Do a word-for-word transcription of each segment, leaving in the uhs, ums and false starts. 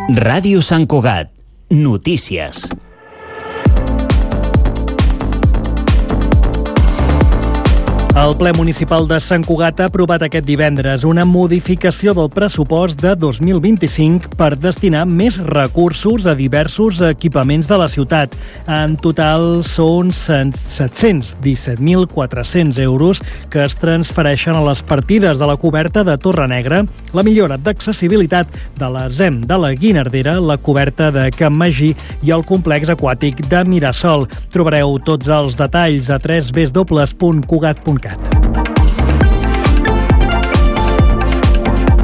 Ràdio Sant Cugat. Notícies. El ple municipal de Sant Cugat ha aprovat aquest divendres una modificació del pressupost de dos mil vint-i-cinc per destinar més recursos a diversos equipaments de la ciutat. En total són set-cents disset mil quatre-cents euros que es transfereixen a les partides de la coberta de Torre Negra, la millora d'accessibilitat de la Z E M de la Guinardera, la coberta de Can Magí i el complex aquàtic de Mirasol. Trobareu tots els detalls a w w w punt cugat punt cat.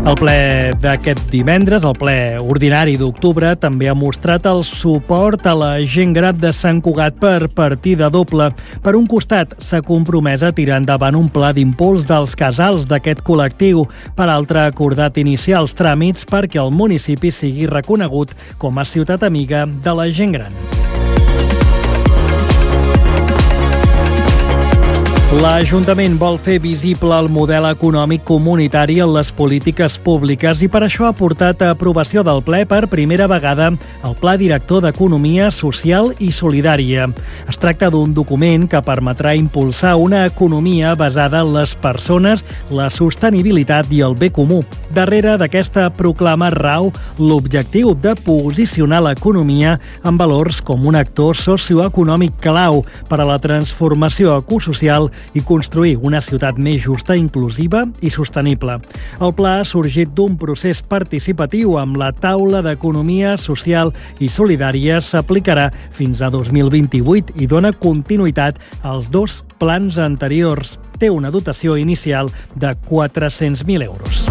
El ple d'aquest divendres, el ple ordinari d'octubre, també ha mostrat el suport a la gent gran de Sant Cugat per partida doble. Per un costat, s'ha compromès a tirar endavant un pla d'impuls dels casals d'aquest col·lectiu. Per altre, ha acordat iniciar els tràmits perquè el municipi sigui reconegut com a ciutat amiga de la gent gran. L'Ajuntament vol fer visible el model econòmic comunitari en les polítiques públiques i per això ha portat a aprovació del ple per primera vegada el Pla Director d'Economia Social i Solidària. Es tracta d'un document que permetrà impulsar una economia basada en les persones, la sostenibilitat i el bé comú. Darrere d'aquesta proclama rau l'objectiu de posicionar l'economia en valors com un actor socioeconòmic clau per a la transformació ecosocial i construir una ciutat més justa, inclusiva i sostenible. El pla ha sorgit d'un procés participatiu amb la taula d'economia social i solidària. S'aplicarà fins a dos mil vint-i-vuit i dona continuïtat als dos plans anteriors. Té una dotació inicial de quatre-cents mil euros.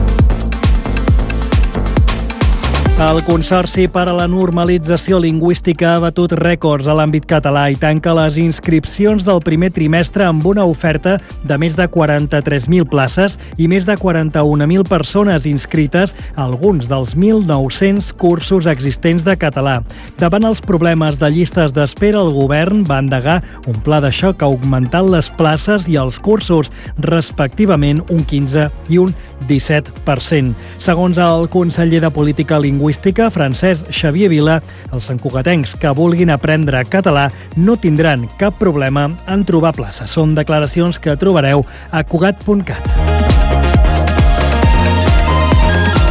El Consorci per a la Normalització Lingüística ha batut rècords a l'àmbit català i tanca les inscripcions del primer trimestre amb una oferta de més de quaranta-tres mil places i més de quaranta-un mil persones inscrites a alguns dels mil nou-cents cursos existents de català. Davant els problemes de llistes d'espera, el govern va endegar un pla de xoc augmentant les places i els cursos, respectivament un quinze i un disset per cent. Segons el conseller de Política Lingüística, Francesc Xavier Vila, els santcugatencs que vulguin aprendre català no tindran cap problema en trobar places. Són declaracions que trobareu a cugat punt cat.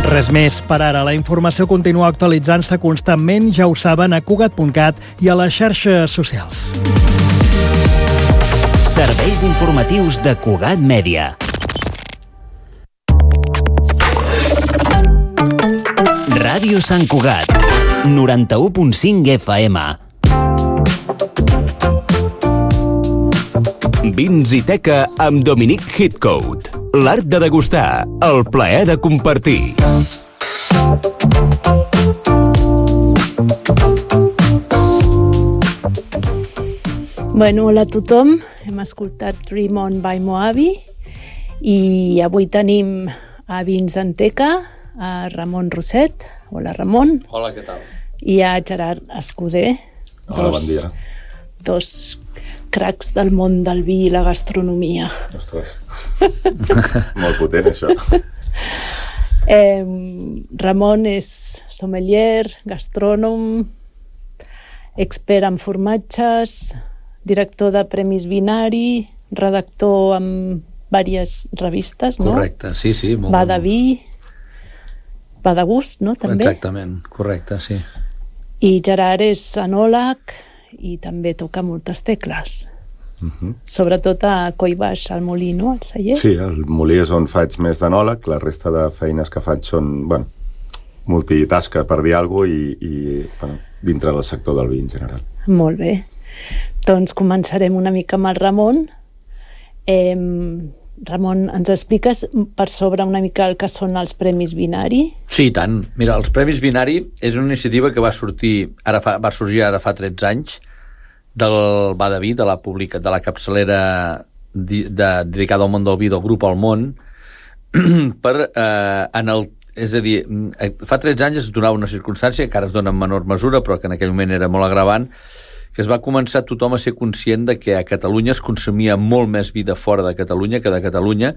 Res més per ara. La informació continua actualitzant-se constantment, ja ho saben, a cugat punt cat i a les xarxes socials. Serveis informatius de Cugat Mèdia. Ràdio Sant Cugat, noranta-u punt cinc F M. Vins i teca amb Dominic Hitcoat. L'art de degustar, el plaer de compartir. Bueno, hola a tothom. Hem escoltat Dream On by Moabi i avui tenim a Vins en teca a Ramon Roset. Hola, Ramon. Hola, què tal? I a Gerard Escuder. Hola, dos, bon dia. Dos cracs del món del vi i la gastronomia. Ostres, molt potent, això. Eh, Ramon és sommelier, gastrònom, expert en formatges, director de Premis Vinari, redactor en diverses revistes, no? Correcte, sí, sí. Molt Va de vi, va de gust, no? També. Exactament, correcte, sí. I Gerard és enòleg i també toca moltes tecles. Uh-huh. Sobretot a Coll Baix, al molí, no? Al celler. Sí, el molí és on faig més d'enòleg, la resta de feines que faig són, bueno, multitasca, per dir alguna cosa, i, i bueno, dintre del sector del vi en general. Molt bé. Doncs començarem una mica amb el Ramon. Eh, Ramon, ens expliques per sobre una mica el que són els Premis Vinari? Sí, i tant. Mira, els Premis Vinari és una iniciativa que va sortir, ara fa, va sorgir ara fa tretze anys, del Va de Vi, de la pública, de la capçalera de, de, dedicada al món del vi del grup El Món, per, eh, en el, és a dir, fa tretze anys es donava una circumstància que ara es dona en menor mesura, però que en aquell moment era molt agravant, que es va començar tothom a ser conscient de que a Catalunya es consumia molt més vi de fora de Catalunya que de Catalunya,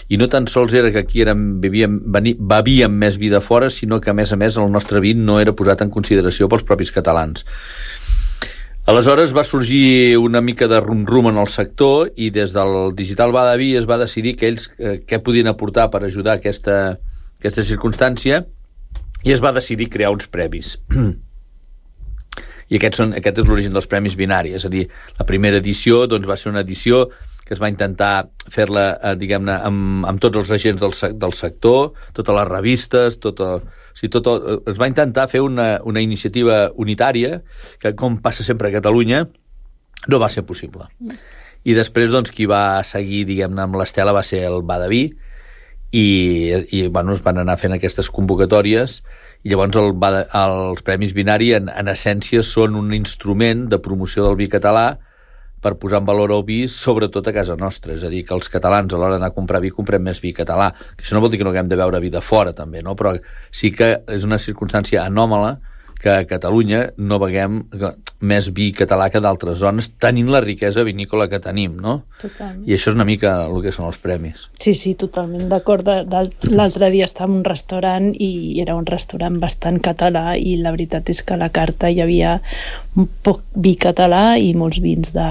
i no tan sols era que aquí érem, bevíem, bevíem més vi de fora, sinó que a més a més el nostre vi no era posat en consideració pels propis catalans. Aleshores va sorgir una mica de rum-rum en el sector, i des del Digital Badaví es va decidir que ells eh, què podien aportar per ajudar aquesta, aquesta circumstància, i es va decidir crear uns premis. I aquest, són, aquest és l'origen dels Premis Binari, és a dir, la primera edició doncs, va ser una edició que es va intentar fer-la, eh, diguem-ne, amb, amb tots els agents del, del sector, totes les revistes, tot el, o sigui, tot el, es va intentar fer una, una iniciativa unitària, que com passa sempre a Catalunya, no va ser possible. I després, doncs, qui va seguir, diguem-ne, amb l'estela va ser el Badaví, i, i bueno, es van anar fent aquestes convocatòries, i llavors el, els Premis Binari en, en essència són un instrument de promoció del vi català per posar en valor el vi, sobretot a casa nostra, és a dir, que els catalans a l'hora d'anar a comprar vi comprem més vi català, que això no vol dir que no haguem de beure vi de fora també, no? Però sí que és una circumstància anòmala que a Catalunya no beguem més vi català que d'altres zones, tenint la riquesa vinícola que tenim, no? Totalment. I això és una mica el que són els premis. Sí, sí, totalment d'acord. L'altre dia estava en un restaurant i era un restaurant bastant català, i la veritat és que a la carta hi havia un poc vi català i molts vins de...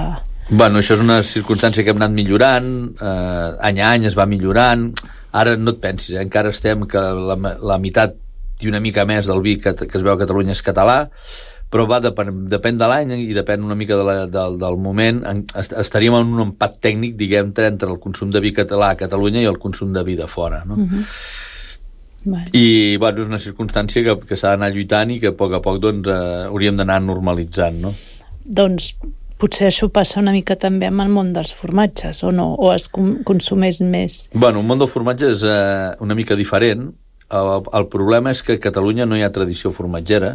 Bueno, això és una circumstància que hem anat millorant, eh, any a any es va millorant. Ara no et pensis, eh? Encara estem que la, la meitat i una mica més del vi que, que es veu a Catalunya és català, però va depèn, depèn de l'any i depèn una mica de la, del, del moment. Estaríem en un empat tècnic, diguem, entre el consum de vi català a Catalunya i el consum de vi de fora, no? Uh-huh. Vale. I, bueno, és una circumstància que, que s'ha d'anar lluitant i que a poc a poc, doncs, eh, hauríem d'anar normalitzant, no? Doncs potser això passa una mica també amb el món dels formatges, o no? O es consumeix més? Bueno, el món del formatge és eh, una mica diferent. El, el problema és que a Catalunya no hi ha tradició formatgera.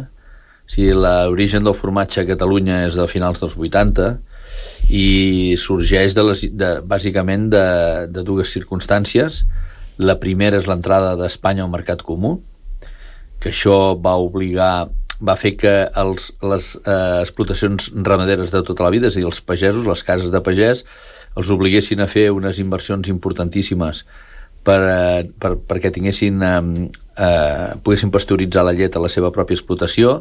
O sigui, l'origen del formatge a Catalunya és de finals dels vuitanta i sorgeix de les, de, bàsicament de, de dues circumstàncies. La primera és l'entrada d'Espanya al mercat comú, que això va obligar, va fer que els, les eh, explotacions ramaderes de tota la vida, és a dir, els pagesos, les cases de pagès, els obliguessin a fer unes inversions importantíssimes Per, per, perquè tinguessin eh, eh, poguessin pasteuritzar la llet a la seva pròpia explotació,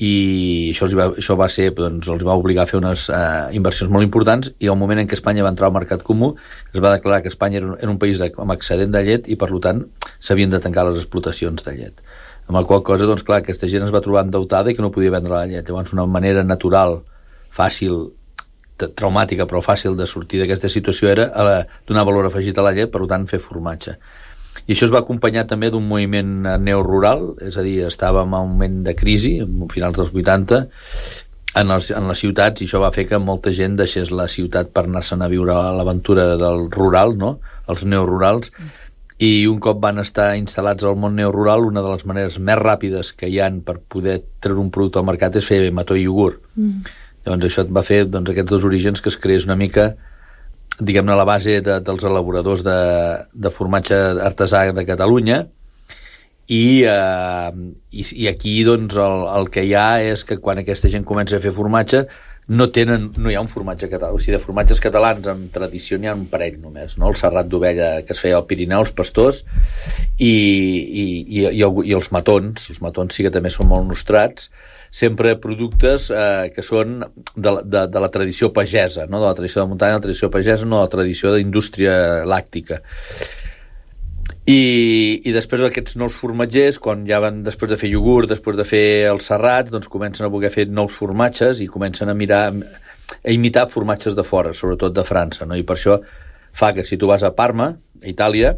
i això, els va, això va ser, doncs, els va obligar a fer unes eh, inversions molt importants, i al moment en què Espanya va entrar al mercat comú es va declarar que Espanya era un, era un país de, amb excedent de llet, i per tant s'havien de tancar les explotacions de llet, amb la qual cosa, doncs clar, aquesta gent es va trobar endeutada i que no podia vendre la llet. Llavors una manera natural, fàcil, traumàtica però fàcil de sortir d'aquesta situació era eh, donar valor afegit a la llet, per tant fer formatge. I això es va acompanyar també d'un moviment neorural, és a dir, estàvem en un moment de crisi a finals dels vuitanta en, els, en les ciutats, i això va fer que molta gent deixés la ciutat per anar-se'n a viure a l'aventura del rural, no? Els neorurals, i un cop van estar instal·lats al món neorural, una de les maneres més ràpides que hi han per poder treure un producte al mercat és fer mató i iogurt. Mm. Llavors això va fer, doncs, aquests dos orígens, que es creés una mica, diguem-ne, la base de, dels elaboradors de, de formatge artesà de Catalunya, i, eh, i, i aquí, doncs, el, el que hi ha és que quan aquesta gent comença a fer formatge no, tenen, no hi ha un formatge català, o sigui, de formatges catalans amb tradició n'hi ha un parell només, no? El serrat d'ovella que es feia al Pirineu, els pastors, i, i, i, i, el, i els matons, els matons sí que també són molt nostrats, sempre productes eh, que són de, de, de la tradició pagesa, no? De la tradició de muntanya, de la tradició pagesa, no de la tradició d'indústria làctica. I, i després aquests nous formatgers, quan ja van, després de fer iogurt, després de fer el serrat, doncs comencen a voler fer nous formatges i comencen a mirar, a imitar formatges de fora, sobretot de França, no? I per això fa que si tu vas a Parma, a Itàlia,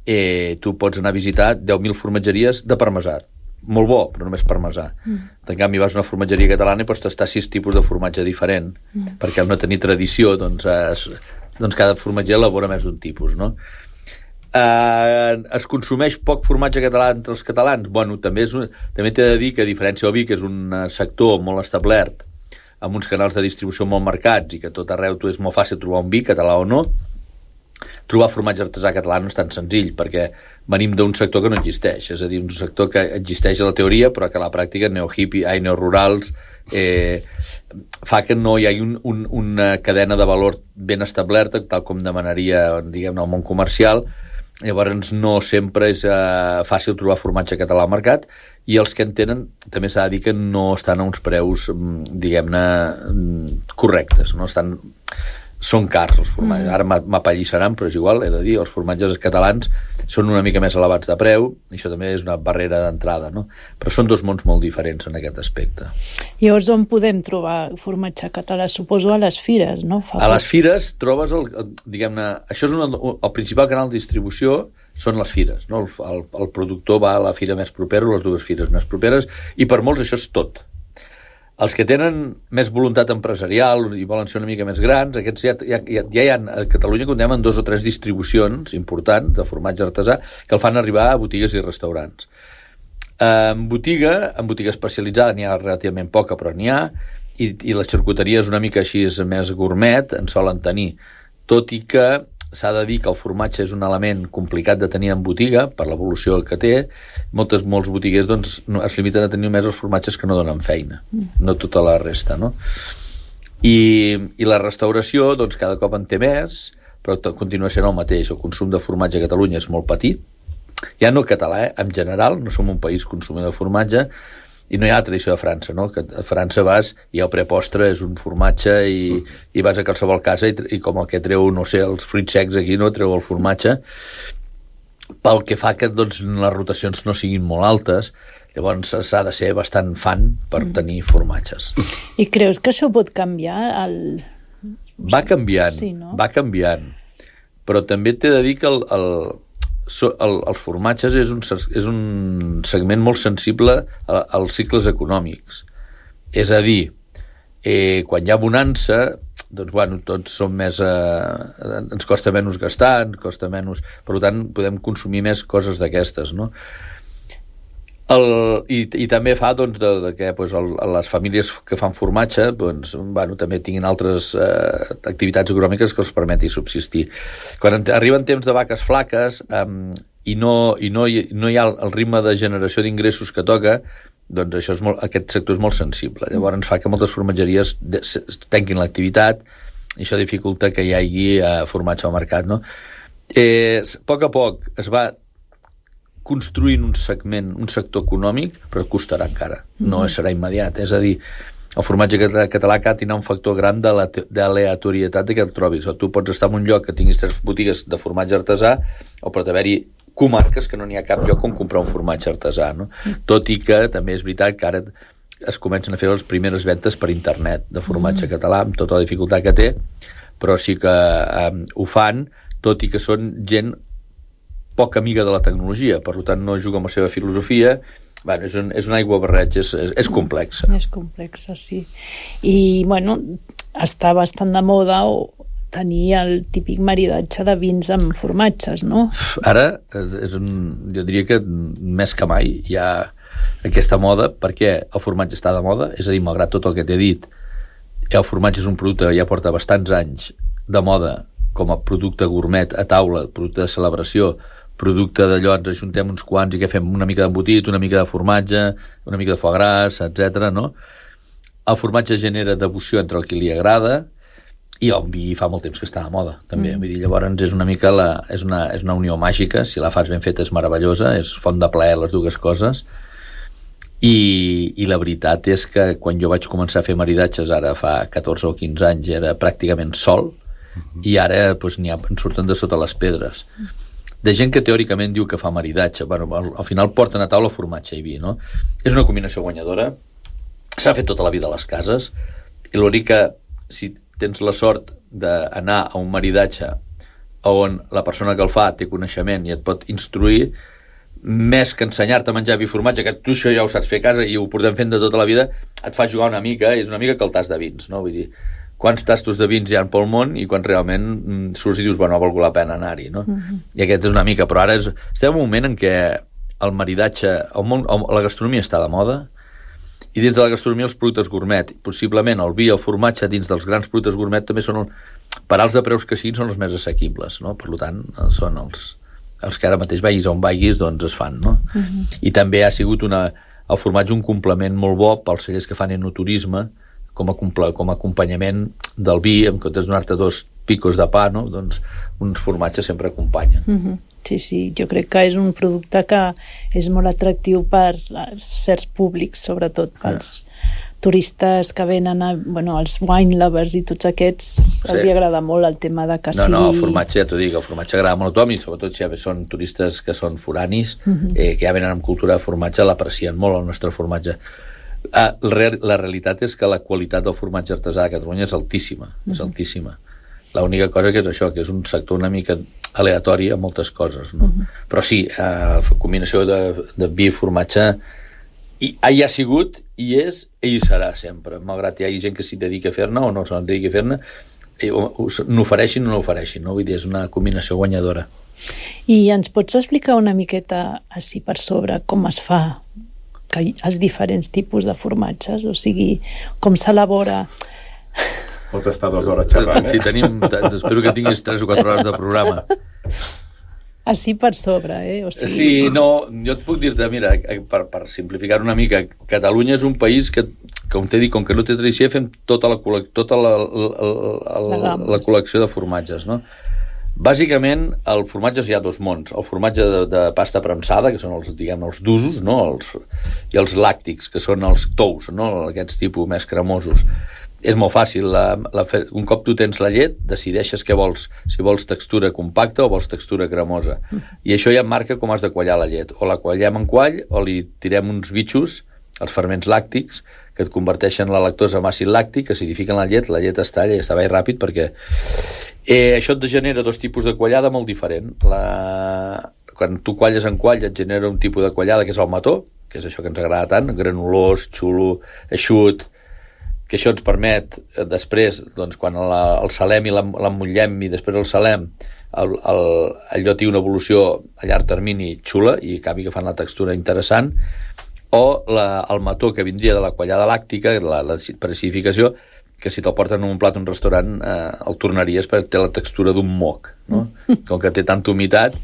eh, tu pots anar a visitar deu mil formatgeries de parmesà. Molt bo, però només parmesà. Mm. En canvi, vas a una formatgeria catalana i pots tastar sis tipus de formatge diferent, mm. perquè al no tenir tradició, doncs, es, doncs cada formatger elabora més d'un tipus, no? Eh, es consumeix poc formatge català entre els catalans? Bueno, també, és un, també t'he de dir que, a diferència del vi, que és un sector molt establert, amb uns canals de distribució molt marcats, i que tot arreu tu és molt fàcil trobar un vi, català o no, trobar formatge artesà català no és tan senzill, perquè venim d'un sector que no existeix, és a dir, un sector que existeix a la teoria però que a la pràctica neohippie, ai, neorurals, eh, fa que no hi hagi un, un, una cadena de valor ben establerta, tal com demanaria, diguem-ne, el món comercial. Llavors no sempre és eh, fàcil trobar formatge català al mercat, i els que en tenen també s'ha de dir que no estan a uns preus, diguem-ne, correctes, no estan... Són cars, els formatges. Mm. Ara m'apallissaran, però és igual, he de dir, els formatges catalans són una mica més elevats de preu, i això també és una barrera d'entrada, no? Però són dos mons molt diferents en aquest aspecte. Llavors, on podem trobar formatge català? Suposo a les fires, no? Fa a les fires trobes, el, diguem-ne, això és una, el principal canal de distribució són les fires, no? El, el, el productor va a la fira més propera, les dues fires més properes, i per molts això és tot. Els que tenen més voluntat empresarial i volen ser una mica més grans, aquests ja, ja, ja, ja hi ha, a Catalunya comptem amb dos o tres distribucions importants de formatge artesà que el fan arribar a botigues i restaurants. En botiga, en botiga especialitzada n'hi ha relativament poca, però n'hi ha, i, i la xarcuteria és una mica així més gourmet, en solen tenir, tot i que s'ha de dir que el formatge és un element complicat de tenir en botiga, per l'evolució que té. Moltes, molts botiguers doncs, no, es limiten a tenir només els formatges que no donen feina, no tota la resta, no? I, i la restauració, doncs, cada cop en té més, però continua sent el mateix. El consum de formatge a Catalunya és molt petit, ja no català, eh? En general, no som un país consumidor de formatge, i no hi ha la tradició de França, no? Que a França vas i el prepostre és un formatge i, i vas a qualsevol casa i, i com el que treu, no sé, els fruits secs aquí, no? Treu el formatge, pel que fa que doncs, les rotacions no siguin molt altes. Llavors s'ha de ser bastant fan per tenir formatges. I creus que això pot canviar? El... Va canviant, sí, no? va canviant, però també t'he de dir que el, el So, el, els formatges és un, és un segment molt sensible a, als cicles econòmics. És a dir, eh, quan hi ha bonança, doncs, bueno, tots som més... Eh, ens costa menys gastar, ens costa menys... Per tant, podem consumir més coses d'aquestes, no? El, i, i també fa doncs, de, de que doncs, el, les famílies que fan formatge doncs, bueno, també tinguin altres eh, activitats econòmiques que els permeti subsistir. Quan arriben temps de vaques flaques eh, i, no, i no, hi, no hi ha el, el ritme de generació d'ingressos que toca, doncs això és molt, aquest sector és molt sensible. Llavors fa que moltes formatgeries de, tanquin l'activitat, i això dificulta que hi hagi eh, formatge al mercat, no? Eh, a poc a poc es va construint un segment, un sector econòmic, però costarà encara, no serà immediat. És a dir, el formatge català ha tindrà un factor gran d'aleatorietat que et trobis. O tu pots estar en un lloc que tinguis tres botigues de formatge artesà, o pot haver-hi comarques que no n'hi ha cap lloc on comprar un formatge artesà, no? Tot i que també és veritat que ara es comencen a fer les primeres ventes per internet de formatge català, amb tota la dificultat que té, però sí que eh, ho fan, tot i que són gent poc amiga de la tecnologia, per tant no juga amb la seva filosofia. Bueno, és, un, és un aigua barreig, és, és, és complexa. És complexa, sí. I, bueno, està bastant de moda tenir el típic maridatge de vins amb formatges, no? Ara, és un, jo diria que més que mai hi ha aquesta moda, perquè el formatge està de moda, és a dir, malgrat tot el que t'he dit, el formatge és un producte que ja porta bastants anys de moda com a producte gourmet a taula, producte de celebració, producte d'allò, ens ajuntem uns quants i que fem una mica d'embotit, una mica de formatge, una mica de foie gras, etcètera, no? El formatge genera devoció entre el qui li agrada, i el vi fa molt temps que està de moda, també. Mm. Vull dir, llavors és una mica la, és una, és una unió màgica, si la fas ben feta és meravellosa, és font de plaer les dues coses, i, i la veritat és que quan jo vaig començar a fer maridatges, ara fa catorze o quinze anys, era pràcticament sol, mm-hmm. i ara doncs, n'hi ha, en surten de sota les pedres. Mm. De gent que teòricament diu que fa maridatge. Bueno, al, al final porten a taula formatge i vi, no? És una combinació guanyadora, s'ha fet tota la vida a les cases, i l'únic que si tens la sort d'anar a un maridatge on la persona que el fa té coneixement i et pot instruir, més que ensenyar-te a menjar vi i formatge, que tu això ja ho saps fer a casa i ho portem fent de tota la vida, et fa jugar una mica, és una mica que el tas de vins, no? Vull dir, quants tastos de vins hi ha pel món i quan realment mm, surts i dius, bueno, ha valgut la pena anar-hi, no? Uh-huh. I aquest és una mica, però ara és, estem en un moment en què el maridatge, el món, la gastronomia està de moda, i dins de la gastronomia els productes gourmet, possiblement el vi i el formatge dins dels grans productes gourmet també són, el, per alts de preus que siguin, són els més assequibles, no? Per tant, són els, els que ara mateix vagis on vagis, doncs es fan, no? Uh-huh. I també ha sigut una, el formatge un complement molt bo pels cellers que fan enoturisme, com a, com a acompanyament del vi, en comptes de donar-te dos picos de pa, no? Doncs uns formatges sempre acompanyen. Mm-hmm. Sí, sí, jo crec que és un producte que és molt atractiu per certs públics, sobretot pels yeah. turistes que venen, a, bueno, els wine lovers i tots aquests, sí. els hi agrada molt el tema de que no, sigui... No, el formatge, ja t'ho dic, el formatge agrada molt a tothom i sobretot si ja són turistes que són foranis, mm-hmm. eh, que ja venen amb cultura de formatge, l'aprecien molt el nostre formatge. Ah, la, la realitat és que la qualitat del formatge artesà a Catalunya és altíssima, mm-hmm. és altíssima. L'única cosa que és això, que és un sector una mica aleatori a moltes coses, no? Uh-huh. Però sí, eh, combinació de, de vi i formatge i, hi ha sigut, i és, i serà sempre, malgrat hi hagi gent que s'hi dedica a fer-ne o no se'n dedica a fer-ne, n'ofereixin o no ofereixin, no? Vull dir, és una combinació guanyadora. I ens pots explicar una miqueta així per sobre com es fa que els diferents tipus de formatges, o sigui, com s'elabora... Pot estar dues hores xerrant, eh? Sí, tenim... Espero que tinguis tres o quatre hores de programa. Així per sobre, eh? O sigui... Sí, no, jo et puc dir-te, mira, per, per simplificar una mica, Catalunya és un país que, com t'he dit, com que no té tradició, fem tota la, tota la, la, la, la, la col·lecció de formatges, no? Bàsicament, el formatge hi ha dos mons. El formatge de, de pasta premsada, que són els, diguem, els d'usos, no? Els, i els làctics, que són els tous, no? Aquests tipus més cremosos. És molt fàcil, la, la, un cop tu tens la llet, decideixes què vols, si vols textura compacta o vols textura cremosa. I això ja et marca com has de quallar la llet. O la quallem en quall, o li tirem uns bitxos, els ferments làctics, que et converteixen la lactosa en àcid làctic, acidifiquen la llet, la llet es talla i està bé ràpid perquè eh, això et genera dos tipus de quallada molt diferent. La... Quan tu qualles en quall et genera un tipus de quallada que és el mató, que és això que ens agrada tant, granulós, xulo, eixut, que això ens permet eh, després, doncs, quan la, el salem i l'emmotllem i després el salem, el, el, allò té una evolució a llarg termini xula i acabi agafant la textura interessant, o la, el mató que vindria de la quallada làctica, la, la acidificació, que si te'l porten en un plat a un restaurant eh, el tornaries perquè té la textura d'un moc, no? Com que té tanta humitat,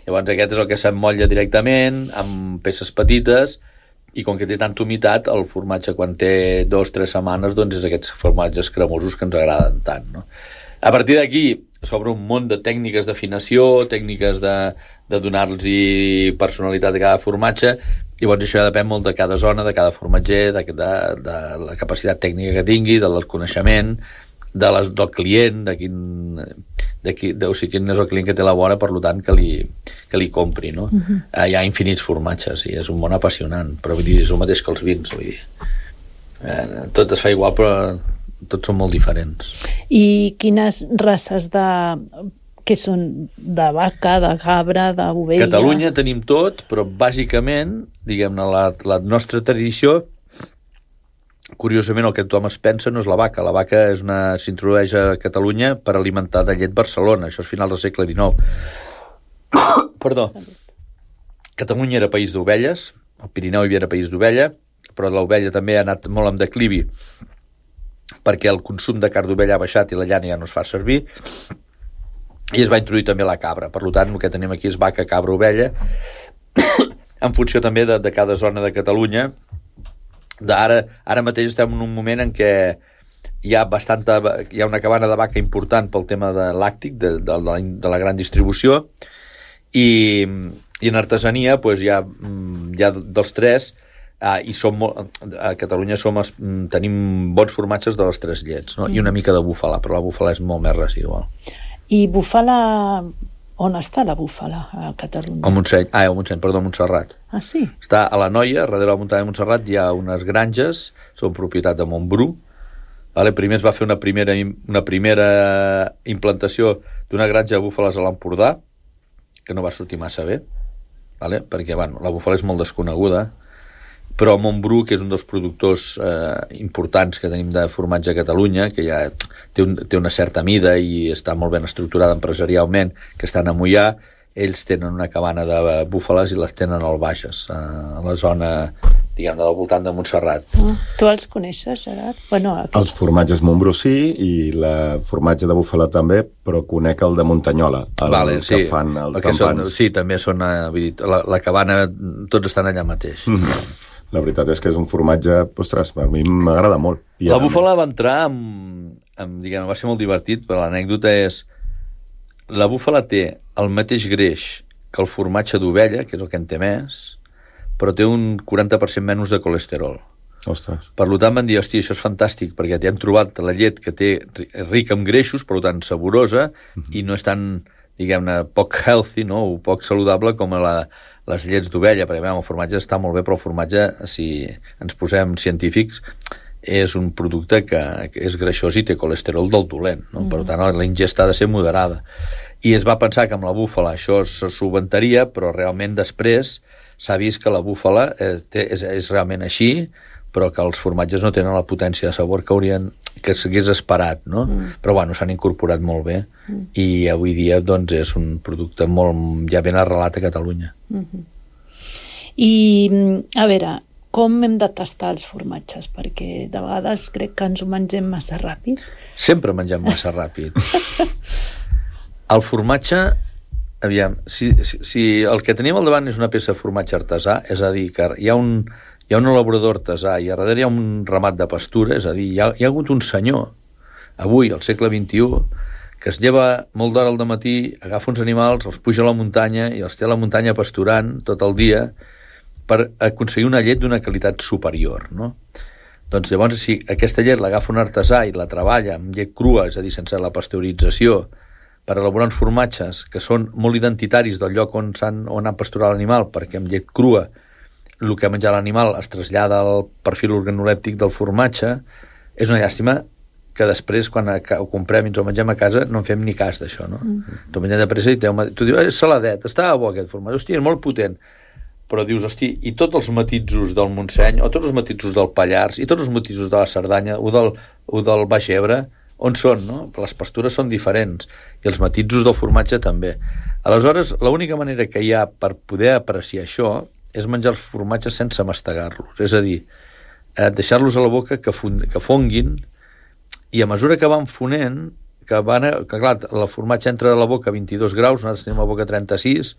llavors aquest és el que s'emmotlla directament amb peces petites, i com que té tanta humitat, el formatge quan té dos o tres setmanes, doncs és aquests formatges cremosos que ens agraden tant, no? A partir d'aquí s'obre un munt de tècniques d'afinació, tècniques de, de donar-los personalitat a cada formatge, i llavors això depèn molt de cada zona, de cada formatger, de, de, de la capacitat tècnica que tingui, del coneixement, de les, del client, de quin, de qui, de, o sigui, quin és el client que té la vora, per tant, que li, que li compri, no? Uh-huh. eh, hi ha infinits formatges i és un món apassionant, però vull dir, és el mateix que els vins, vull dir. Eh, tot es fa igual, però tots són molt diferents. I quines races de... que són de vaca, de cabra, d'ovella? Catalunya tenim tot, però bàsicament, diguem-ne, la, la nostra tradició, curiosament el que tothom es pensa no és la vaca. La vaca és una s'introdueix a Catalunya per alimentar de llet Barcelona, això és finals del segle dinou. Perdó. Catalunya era país d'ovelles, el Pirineu hi havia país d'ovella, però l'ovella també ha anat molt en declivi perquè el consum de carn d'ovella ha baixat i la llana ja no es fa servir, i es va introduir també la cabra. Per tant, el que tenim aquí és vaca, cabra, ovella, en funció també de, de cada zona de Catalunya. Ara, ara mateix estem en un moment en què hi ha, bastanta, hi ha una cabana de vaca important pel tema de làctic, de, de, de, la, de la gran distribució, i, i en artesania pues, hi, ha, hi ha dels tres, eh, i som molt, a Catalunya som, tenim bons formatges de les tres llets, no? Mm. I una mica de búfala, però la búfala és molt més residual. I búfala... On està la búfala a Catalunya? A Montseny, ah, a Montseny, perdó, a Montserrat. Ah, sí? Està a la Noia, darrere de la muntanya de Montserrat, hi ha unes granges, són propietat de Montbru. Vale? Primer es va fer una primera, una primera implantació d'una granja de búfales a l'Empordà, que no va sortir massa bé, vale? Perquè bueno, la búfala és molt desconeguda, però Montbru, que és un dels productors eh, importants que tenim de formatge a Catalunya, que ja té, un, té una certa mida i està molt ben estructurada empresarialment, que estan a Moià, ells tenen una cabana de búfales i les tenen al Bages, eh, a la zona, diguem, del voltant de Montserrat. Ah, tu els coneixes, Gerard? Bueno, aquest... Els formatges Montbru sí, i la formatge de búfala també, però conec el de Muntanyola, el vale, que sí, fan els el que són, entampans. sí, també són, eh, vull dir, la, la cabana, tots estan allà mateix. Mm. la veritat és que és un formatge, ostres, per mi m'agrada molt. I la búfala va entrar amb, amb, diguem, va ser molt divertit, però l'anècdota és la búfala té el mateix greix que el formatge d'ovella, que és el que en té més, però té un quaranta per cent menys de colesterol. Ostres. Per tant van dir, hòstia, això és fantàstic, perquè hem trobat la llet que té rica en greixos, per tant saborosa, mm-hmm. i no és tan, diguem-ne, poc healthy, no? O poc saludable com la, les llets d'ovella, perquè bé, el formatge està molt bé, però el formatge, si ens posem científics, és un producte que, que és greixós i té colesterol del dolent, no? Mm. Per tant, la ingesta ha de ser moderada. I es va pensar que amb la búfala això se solventaria, però realment després s'ha vist que la búfala eh, té, és, és realment així, però que els formatges no tenen la potència de sabor que haurien, que s'hagués esperat, no? Mm. Però bueno, s'han incorporat molt bé mm. i avui dia doncs és un producte molt ja ben arrelat a Catalunya. Mm-hmm. I a veure, com hem de tastar els formatges? Perquè de vegades crec que ens ho mengem massa ràpid. Sempre mengem massa ràpid. El formatge, aviam, si, si, si el que tenim al davant és una peça de formatge artesà, és a dir, que hi ha un hi ha un elaborador artesà i a darrere hi ha un ramat de pastura, és a dir, hi ha, hi ha hagut un senyor, avui, al segle vint-i-u, que es lleva molt d'hora al dematí, agafa uns animals, els puja a la muntanya i els té a la muntanya pasturant tot el dia per aconseguir una llet d'una qualitat superior, no? Doncs llavors, si aquesta llet l'agafa un artesà i la treballa amb llet crua, és a dir, sense la pasteurització, per elaborar uns formatges que són molt identitaris del lloc on, s'han, on han pasturat l'animal, perquè amb llet crua el que ha menjat l'animal es trasllada al perfil organolèptic del formatge, és una llàstima que després, quan ho comprem i ens ho mengem a casa, no en fem ni cas d'això, no? Mm. T'ho mengem de pressa i tu dius, és saladet, estava bo aquest formatge, hòstia, és molt potent. Però dius, hosti, i tots els matisos del Montseny, o tots els matisos del Pallars, i tots els matisos de la Cerdanya, o del, o del Baix Ebre, on són, no? Les pastures són diferents, i els matisos del formatge també. Aleshores, l'única manera que hi ha per poder apreciar això és menjar els formatges sense mastegar-los, és a dir, eh, deixar-los a la boca que, fun que fonguin, i a mesura que van fonent, que, van a, que clar, el formatge entra a la boca a vint-i-dos graus, nosaltres tenim la boca a trenta-sis,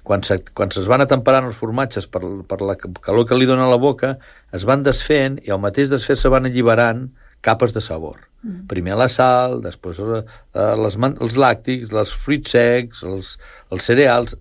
quan se, quan es van atemperant els formatges per, per la calor que li dona a la boca, es van desfent, i al mateix desfer-se van alliberant capes de sabor. Mm. Primer la sal, després eh, les, els làctics, els fruits secs, els, els cereals,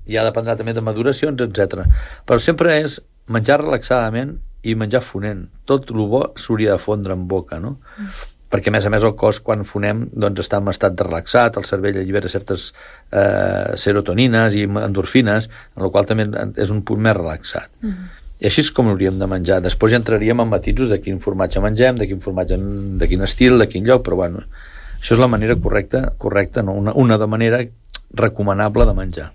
ja dependrà també de maduracions, etcètera. Però sempre és menjar relaxadament i menjar fonent. Tot el bo s'hauria de fondre en boca, no? Mm. Perquè, a més a més, el cos, quan fonem, doncs està en estat de relaxat, el cervell allibera certes eh, serotonines i endorfines, en la qual també és un punt més relaxat. Mm. I així és com hauríem de menjar. Després ja entraríem en matisos de quin formatge mengem, de quin formatge, de quin estil, de quin lloc, però bueno, això és la manera correcta, correcta no? una, una de manera recomanable de menjar.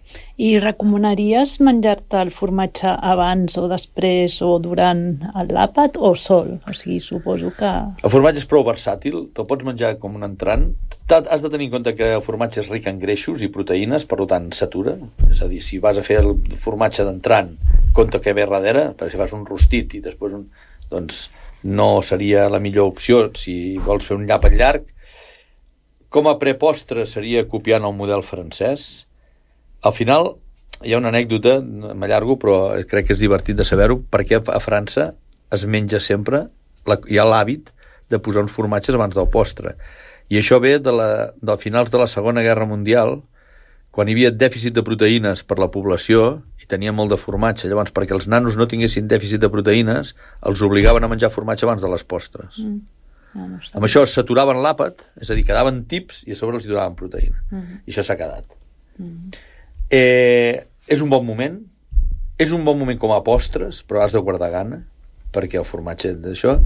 I recomanaries menjar-te el formatge abans o després o durant l'àpat o sol? O sigui, suposo que... El formatge és prou versàtil, te'l pots menjar com un entrant. Has de tenir en compte que el formatge és ric en greixos i proteïnes, per tant s'atura. És a dir, si vas a fer el formatge d'entrant, compte que ve darrere, perquè si fas un rostit i després un... doncs no seria la millor opció si vols fer un llàpat llarg. Com a prepostre seria copiant el model francès. Al final hi ha una anècdota, m'allargo, però crec que és divertit de saber-ho, perquè a França es menja sempre, la, hi ha l'hàbit de posar uns formatges abans del postre. I això ve de, la, de finals de la Segona Guerra Mundial, quan hi havia dèficit de proteïnes per la població i tenia molt de formatge. Llavors, perquè els nanos no tinguessin dèficit de proteïnes, els obligaven a menjar formatge abans de les postres. Mm. No, no amb això s'aturaven l'àpat, és a dir, quedaven tips i a sobre els hi donaven proteïna. Uh -huh. I això s'ha quedat. Uh -huh. eh, és un bon moment, és un bon moment com a postres, però has de guardar gana, perquè el formatge d'això,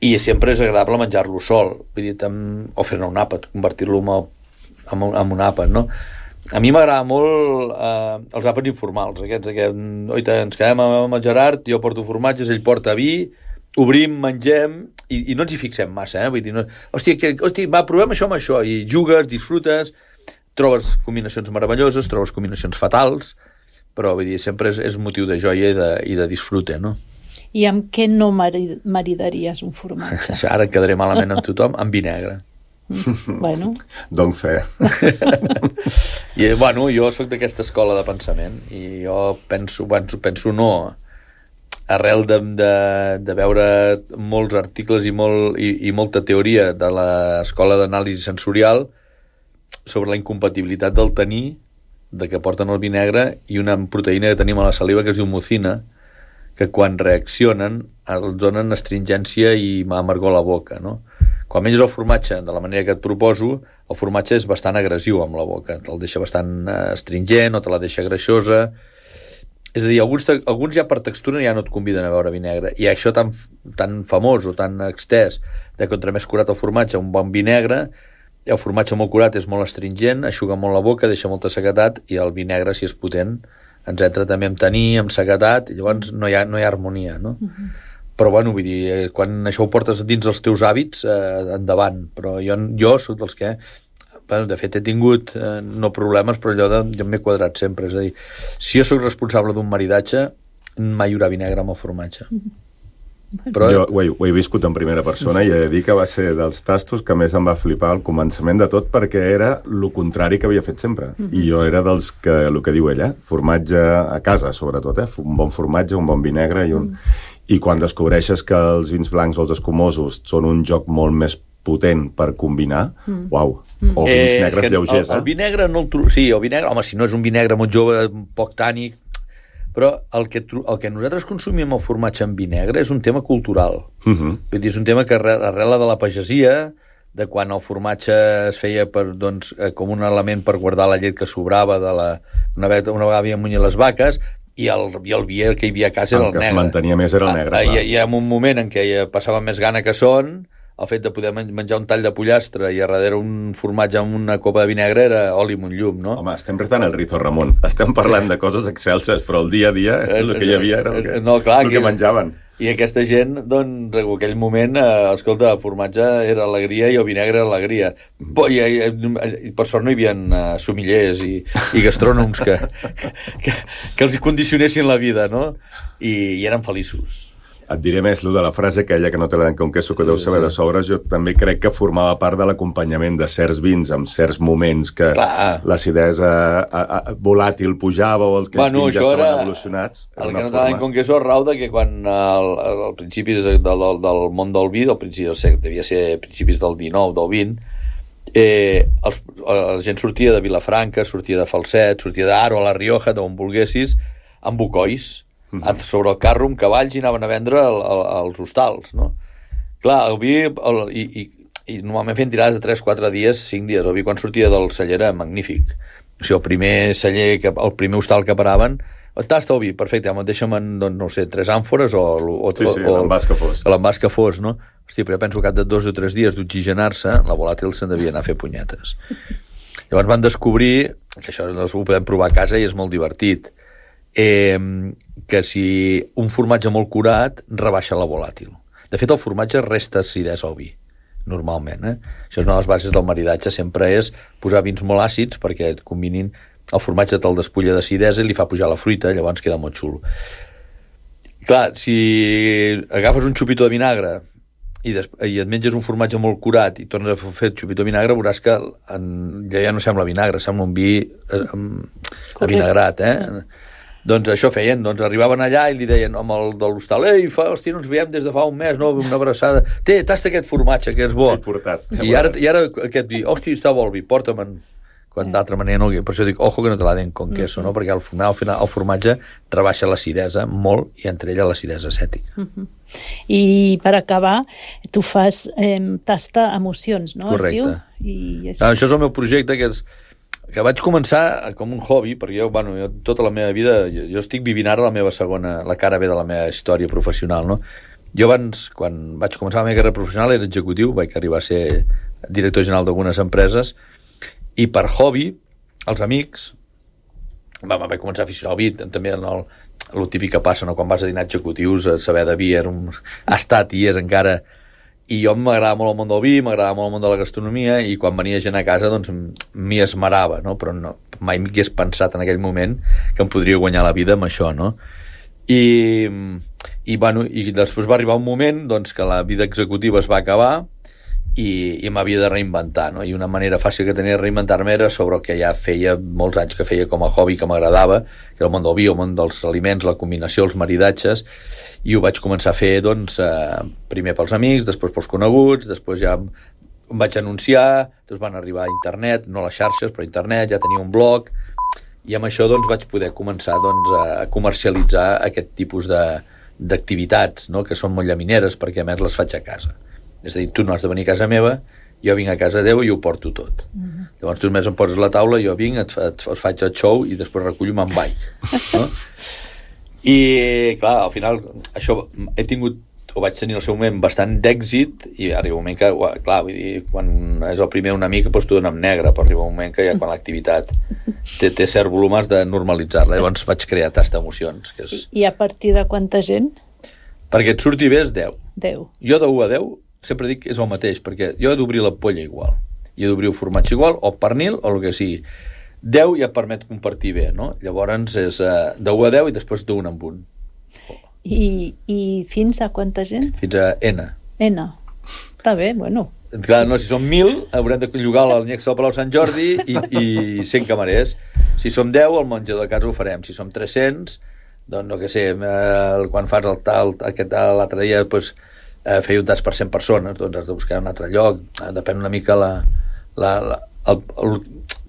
i sempre és agradable menjar-lo sol, vull dir, amb, o fer-ne un àpat, convertir-lo en, en, un, en un àpat, no? A mi m'agrada molt eh, els àpats informals, aquests, aquests, oita, ens quedem amb el Gerard, jo porto formatges, ell porta vi, obrim, mengem, i, i no ens hi fixem massa, eh? Vull dir, no, hòstia, que, hòstia, va, provem això amb això, i jugues, disfrutes, trobes combinacions meravelloses, trobes combinacions fatals, però vull dir, sempre és, és motiu de joia i de, i de disfrute, no? I amb què no marid maridaries un formatge? Ara quedaré malament amb tothom, amb vi negre. Mm, bueno. Donc fe. I, bueno, jo sóc d'aquesta escola de pensament, i jo penso, penso, penso no... arrel de, de, de veure molts articles i, molt, i, i molta teoria de l'Escola d'Anàlisi Sensorial sobre la incompatibilitat del taní, de que porten el vi negre, i una proteïna que tenim a la saliva que es diu mucina, que quan reaccionen els donen astringència i amargor a la boca, no? Quan menges el formatge de la manera que et proposo, el formatge és bastant agressiu amb la boca, te'l deixa bastant astringent o te la deixa greixosa. És a dir, alguns, alguns ja per textura ja no et conviden a beure vi negre, i això tan, tan famós o tan extès de contra més curat el formatge, un bon vi negre, el formatge molt curat és molt astringent, aixuga molt la boca, deixa molta sequedat, i el vi negre, si és potent, ens entra també amb taní, amb sequedat, i llavors no hi ha, no hi ha harmonia, no? Uh-huh. Però, bueno, vull dir, quan això ho portes dins els teus hàbits, eh, endavant. Però jo, jo soc dels que... Bueno, de fet, he tingut eh, no problemes, però allò de, jo m'he quadrat sempre. És a dir, si jo sóc responsable d'un maridatge, mai hi haurà vi negre amb el formatge. Però... Jo ho he, ho he viscut en primera persona i he de dir que va ser dels tastos que més em va flipar al començament de tot, perquè era el contrari que havia fet sempre. Uh-huh. I jo era dels que, el que diu ella, formatge a casa, sobretot, eh? Un bon formatge, un bon vi negre i un... Uh-huh. I quan descobreixes que els vins blancs o els escumosos són un joc molt més potent per combinar, mm. uau, mm. o vins eh, negres lleugers, el, eh? El vi negre no el trobo... Sí, el vi negre, home, si no és un vi negre molt jove, poc tànic, però el que, el que nosaltres consumim el formatge amb vi negre és un tema cultural. Mm-hmm. Vull dir, és un tema que arrela de la pagesia, de quan el formatge es feia per, doncs, com un element per guardar la llet que sobrava de la... Una vegada, una vegada havia munyit les vaques, i el, i el vi que hi havia a casa era el, el negre. El que es mantenia més era el negre, ah, clar. I, I en un moment en què passava més gana que son, el fet de poder menjar un tall de pollastre i a darrere un formatge amb una copa de vi negre era oli amb un llum, no? Home, estem rezant el rizo, Ramon. Estem parlant de coses excelses, però el dia a dia el que hi havia era el que, no, clar, el que, que menjaven. I aquesta gent, doncs, en aquell moment, eh, escolta, el formatge era alegria i el vi negre era alegria. I, i, i per sort no hi havia uh, somillers i, i gastrònoms que, que, que els condicionessin la vida, no? I, i eren feliços. Et diré més, lo de la frase aquella que no te la den con queso, que deu saber de sobres, jo també crec que formava part de l'acompanyament de certs vins en certs moments que Clar. l'acidesa a, a, volàtil pujava o els que bueno, vins ja estaven era, evolucionats. El que no te la den con queso rau de que quan al, al principis del, del, del món del vi, del principi, devia ser principis del dinou, del vint, eh, els, la gent sortia de Vilafranca, sortia de Falset, sortia d'Aro, a la Rioja, d'on volguessis, amb bucois, mm-hmm. sobre el carro amb cavalls i anaven a vendre el, el, els hostals, no? Clar, el vi, el, i, i, i normalment feien tirades de tres quatre dies, cinc dies, el vi quan sortia del celler era magnífic. O sigui, el primer celler, que, el primer hostal que paraven, tasta el vi, perfecte, deixa'm en, doncs, no sé, tres àmfores o... o sí, sí, l'envàs que fos. L'envàs que fos, no? Hòstia, però jo penso que cap de dos o tres dies d'oxigenar-se, la volàtil se'n devia anar a fer punyetes. Llavors van descobrir, que això ho podem provar a casa i és molt divertit, eh, que si un formatge molt curat rebaixa la volàtil. De fet, el formatge resta acidesa al vi, normalment. Eh? Això és una de les bases del maridatge, sempre és posar vins molt àcids perquè et combinin, el formatge te'l despulla d'acidesa i li fa pujar la fruita, llavors queda molt xulo. Clar, si agafes un xupito de vinagre i, des, i et menges un formatge molt curat i tornes a fer xupito de vinagre, veuràs que en, ja, ja no sembla vinagre, sembla un vi eh, avinagrat, eh? Doncs això feien, doncs arribaven allà i li deien amb el de l'hostal, ei, fa, hòstia, no ens veiem des de fa un mes, no, una abraçada, té, tasta aquest formatge, que és bo. Portat, I, ara, I ara aquest vi, hòstia, està bo el vi, porta'm-en. Quan d'altra manera no, per això dic, ojo que no te la den con queso, no? Perquè al final, al final el formatge rebaixa l'acidesa molt i entre ella l'acidesa acètica. Uh-huh. I per acabar, tu fas eh, tasta emocions, no? Correcte. Es diu? I és... Ah, això és el meu projecte, que és que vaig començar com un hobby, perquè jo, bueno, jo tota la meva vida, jo, jo estic vivint ara la meva segona, la cara B de la meva història professional, no? Jo abans, quan vaig començar la meva carrera professional, era executiu, vaig arribar a ser director general d'algunes empreses, i per hobby, els amics, va, vaig començar a aficionar al vi, també el, el típic que passa, no? Quan vas a dinar executius, a saber de vi, era un... ha estat i és encara... I jo m'agradava molt el món del vi, m'agradava molt el món de la gastronomia, i quan venia gent a casa, doncs, m'hi esmerava, no? Però no, mai m'hagués pensat en aquell moment que em podria guanyar la vida amb això, no? I, i, bueno, i després va arribar un moment doncs, que la vida executiva es va acabar i, i m'havia de reinventar, no? I una manera fàcil que tenia de reinventar-me era sobre el que ja feia molts anys que feia com a hobby que m'agradava, que era el món del vi, el món dels aliments, la combinació, els maridatges, i ho vaig començar a fer, doncs, eh, primer pels amics, després pels coneguts, després ja em vaig anunciar, després van arribar a internet, no a les xarxes, però a internet, ja tenia un blog, i amb això, doncs, vaig poder començar, doncs, a comercialitzar aquest tipus de, d'activitats, no?, que són molt llamineres, perquè a més les faig a casa. És a dir, tu no has de venir a casa meva, jo vinc a casa teva i ho porto tot. Uh-huh. Llavors tu només em poses la taula, jo vinc, et, et, et faig el show i després recullo i me'n vaig. No? I, clar, al final, això he tingut, ho vaig tenir al seu moment bastant d'èxit i arriba un moment que, clar, vull dir, quan és el primer una mica, doncs t'ho dona en negre, però arriba un moment que ja quan l'activitat té, té cert volum has de normalitzar-la. Llavors vaig crear tast d'emocions. Que és... I a partir de quanta gent? Perquè et surti bé és deu. deu. Jo de u a deu sempre dic que és el mateix, perquè jo he d'obrir la polla igual, i he d'obrir el formatge igual, o pernil, o el que sigui. deu ja permet compartir bé, no? Llavors és uh, de u a deu i després d'un en un. I, I fins a quanta gent? Fins a N. N. Està bé, bueno. Clar, no, si som mil, haurem de llogar l'Annex del Palau Sant Jordi i, i cent camarers. Si som deu, el menjador de casa ho farem. Si som tres-cents, doncs, no que sé, eh, quan fas el tal, aquest l'altre dia, doncs, eh, feia un tast per cent persones, doncs has de buscar un altre lloc, eh, depèn una mica la, la, la, el, el,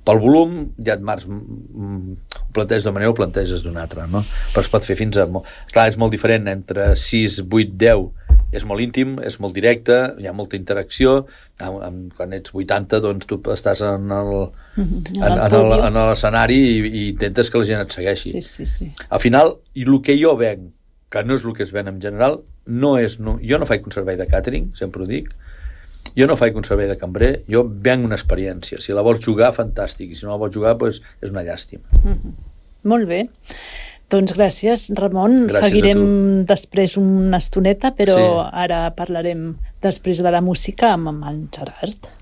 pel volum, ja et marcs, ho planteges d'una manera o ho planteges d'una altra, no? Però es pot fer fins a... Clar, és molt diferent, entre sis, vuit, deu, és molt íntim, és molt directe, hi ha molta interacció, quan ets vuitanta, doncs tu estàs en el, en, en el, en l'escenari i, i intentes que la gent et segueixi. Sí, sí, sí. Al final, i el que jo venc, que no és el que es ven en general, no és... No, jo no faig un servei de càtering, sempre ho dic, jo no faig un servei de cambrer, jo venc una experiència. Si la vols jugar, fantàstic, i si no la vols jugar, doncs és una llàstima. Mm-hmm. Molt bé. Doncs gràcies, Ramon. Gràcies Seguirem després una estoneta, però sí. Ara parlarem després de la música amb, amb en Gerard.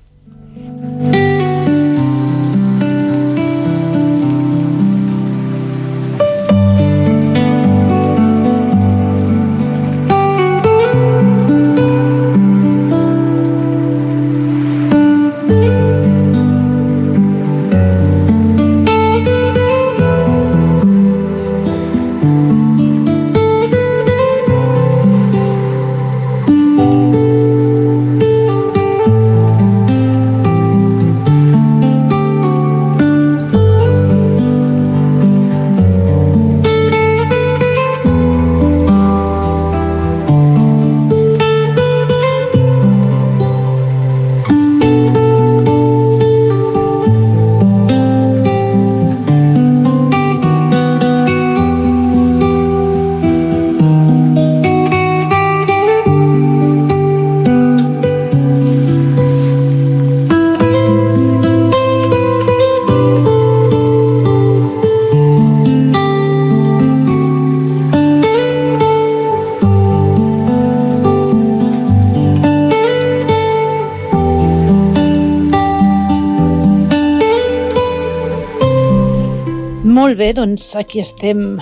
Molt bé, doncs aquí estem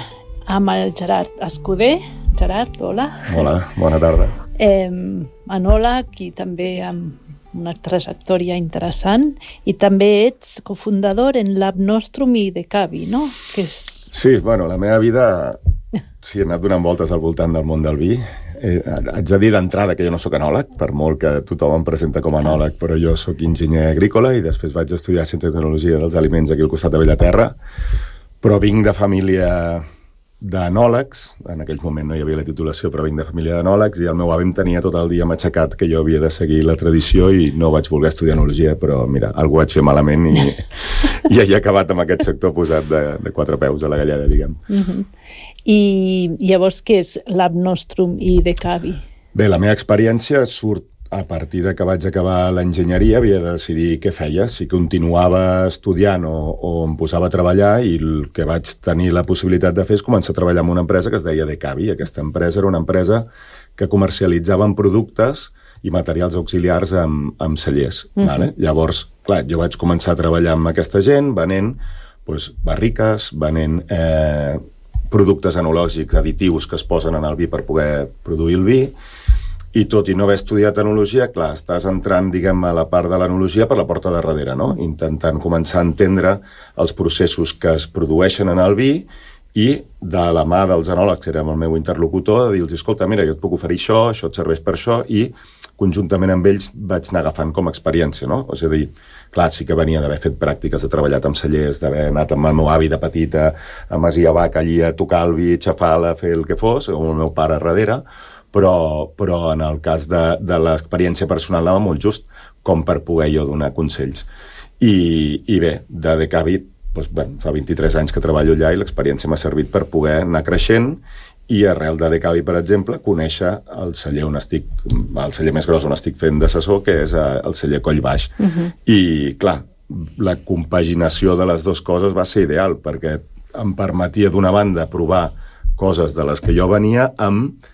amb el Gerard Escuder. Gerard, hola. Hola, bona tarda. Eh, enòleg i també amb una trajectòria interessant, i també ets cofundador en Lab Nostrum i Decavi, no? Que és... Sí, bueno, la meva vida sí, he anat donant voltes al voltant del món del vi. Eh, haig de dir d'entrada que jo no sóc enòleg, per molt que tothom em presenta com a enòleg, però jo sóc enginyer agrícola i després vaig estudiar Ciència i Tecnologia dels Aliments aquí al costat de Bellaterra, però vinc de família d'enòlegs, en aquell moment no hi havia la titulació, però vinc de família d'enòlegs, i el meu avi em tenia tot el dia matxacat que jo havia de seguir la tradició i no vaig voler estudiar enologia, però mira, algú vaig fer malament i, i he acabat amb aquest sector posat de, de quatre peus a la galleda, diguem. Uh-huh. I llavors què és Lab Nostrum i Decavi? Bé, la meva experiència surt a partir de que vaig acabar l'enginyeria, havia de decidir què feia, si continuava estudiant o, o em posava a treballar, i el que vaig tenir la possibilitat de fer és començar a treballar en una empresa que es deia Decavi. Aquesta empresa era una empresa que comercialitzava productes i materials auxiliars amb, amb cellers. Uh-huh. Vale? Llavors, clar, jo vaig començar a treballar amb aquesta gent, venent doncs, barriques, venent eh, productes enològics, additius que es posen en el vi per poder produir el vi, I tot i no haver estudiat enologia, clar, estàs entrant, diguem, a la part de l'enologia per la porta de darrere, no? Intentant començar a entendre els processos que es produeixen en el vi i de la mà dels enòlegs, que era el meu interlocutor, de dir-los, escolta, mira, jo et puc oferir això, això et serveix per això, i conjuntament amb ells vaig anar agafant com a experiència, no? És a dir, clar, sí que venia d'haver fet pràctiques, de treballat amb cellers, d'haver anat amb el meu avi de petita a Masia Bac allí a tocar el vi, xafar-la, fer el que fos, o el meu pare darrere, però, però en el cas de, de l'experiència personal anava molt just, com per poder jo donar consells. I, i bé, de Decavi, doncs, bueno, fa vint-i-tres anys que treballo allà i l'experiència m'ha servit per poder anar creixent i arrel de Decavi, per exemple, conèixer el celler on estic, el celler més gros on estic fent d'assessor, que és el celler Coll Baix. Uh-huh. I, clar, la compaginació de les dues coses va ser ideal, perquè em permetia, d'una banda, provar coses de les que jo venia amb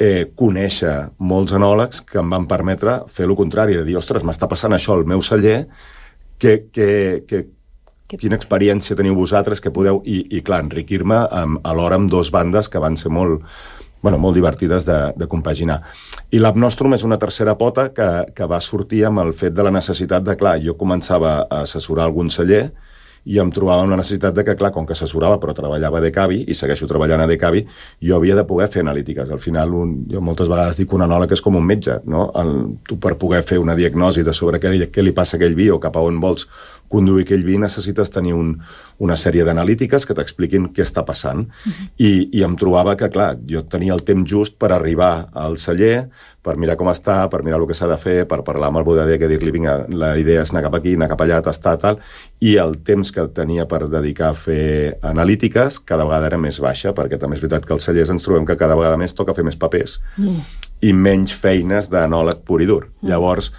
eh, conèixer molts enòlegs que em van permetre fer el contrari, de dir, ostres, m'està passant això al meu celler, que, que, que, que... quina experiència teniu vosaltres, que podeu, i, i clar, enriquir-me alhora amb dos bandes que van ser molt, bueno, molt divertides de, de compaginar. I l'App Nostrum és una tercera pota que, que va sortir amb el fet de la necessitat de, clar, jo començava a assessorar algun celler i em trobava amb la necessitat de que, clar, com que assessorava però treballava a Decavi i segueixo treballant a Decavi, jo havia de poder fer analítiques. Al final, un, jo moltes vegades dic que un enòleg és com un metge, no? El, tu per poder fer una diagnosi de sobre què, què li passa a aquell vi o cap a on vols conduir aquell vi, necessites tenir un, una sèrie d'analítiques que t'expliquin què està passant. Uh-huh. I, I em trobava que, clar, jo tenia el temps just per arribar al celler, per mirar com està, per mirar el que s'ha de fer, per parlar amb el bodeguer, que dir-li, vinga, la idea és anar cap aquí, anar cap allà, tastar, tal, i el temps que tenia per dedicar a fer analítiques cada vegada era més baixa, perquè també és veritat que els cellers ens trobem que cada vegada més toca fer més papers mm. i menys feines d'anòleg pur i dur. Mm. Llavors,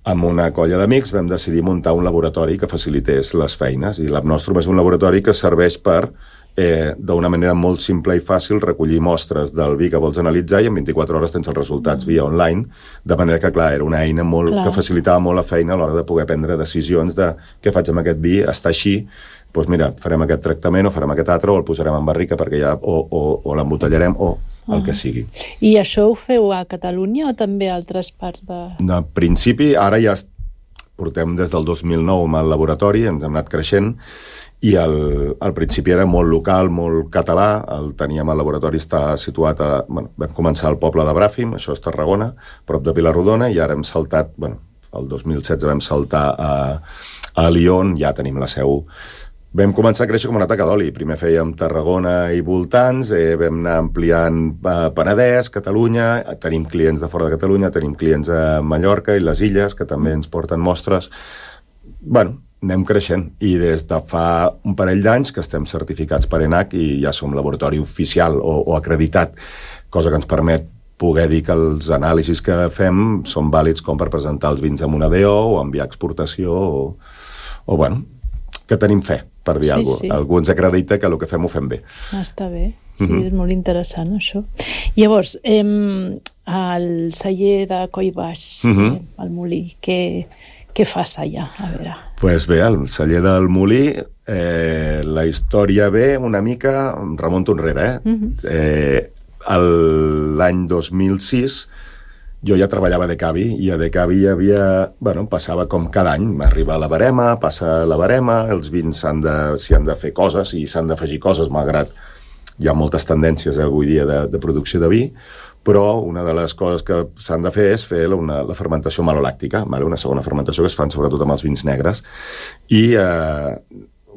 amb una colla d'amics vam decidir muntar un laboratori que facilités les feines, i l'App Nostrum és un laboratori que serveix per Eh, d'una manera molt simple i fàcil recollir mostres del vi que vols analitzar i en vint-i-quatre hores tens els resultats via online, de manera que, clar, era una eina molt, clar. que facilitava molt la feina a l'hora de poder prendre decisions de què faig amb aquest vi, està així, doncs mira, farem aquest tractament o farem aquest altre o el posarem en barrica perquè ja, o, o, o l'embotellarem o el ah. que sigui. I això ho feu a Catalunya o també a altres parts de... De principi, ara ja portem des del dos mil nou amb el laboratori, ens hem anat creixent, i al, al principi era molt local, molt català, el teníem al laboratori, està situat a... Bueno, vam començar al poble de Bràfim, això és Tarragona, prop de Vilarrodona, i ara hem saltat, bueno, el dos mil setze vam saltar a, a Lyon, ja tenim la seu. Vam començar a créixer com una taca d'oli, primer fèiem Tarragona i voltants, eh, vam anar ampliant eh, Penedès, Catalunya, tenim clients de fora de Catalunya, tenim clients a Mallorca i les Illes, que també ens porten mostres. Bueno, anem creixent, i des de fa un parell d'anys que estem certificats per ENAC i ja som laboratori oficial o, o acreditat, cosa que ens permet poder dir que els anàlisis que fem són vàlids com per presentar els vins amb una D O o enviar a exportació o, o bueno, que tenim fe, per dir sí, alguna cosa. Sí. Algú ens acredita que el que fem ho fem bé. Ah, està bé, sí, mm-hmm. és molt interessant això. Llavors, eh, el celler de Coll Baix, mm-hmm. eh, el molí, què... Què fas allà? A veure. Pues bé, el celler del Molí, eh, la història ve una mica, em remonto enrere, eh? Uh-huh. eh l'any dos mil sis jo ja treballava a Decavi, i a Decavi hi havia, bueno, passava com cada any, arriba la barema, passa la barema, els vins s'han de, s'hi han de fer coses i s'han d'afegir coses, malgrat hi ha moltes tendències avui dia de, de producció de vi, però una de les coses que s'han de fer és fer una, la fermentació malolàctica, vale? Una segona fermentació que es fan sobretot amb els vins negres, i eh,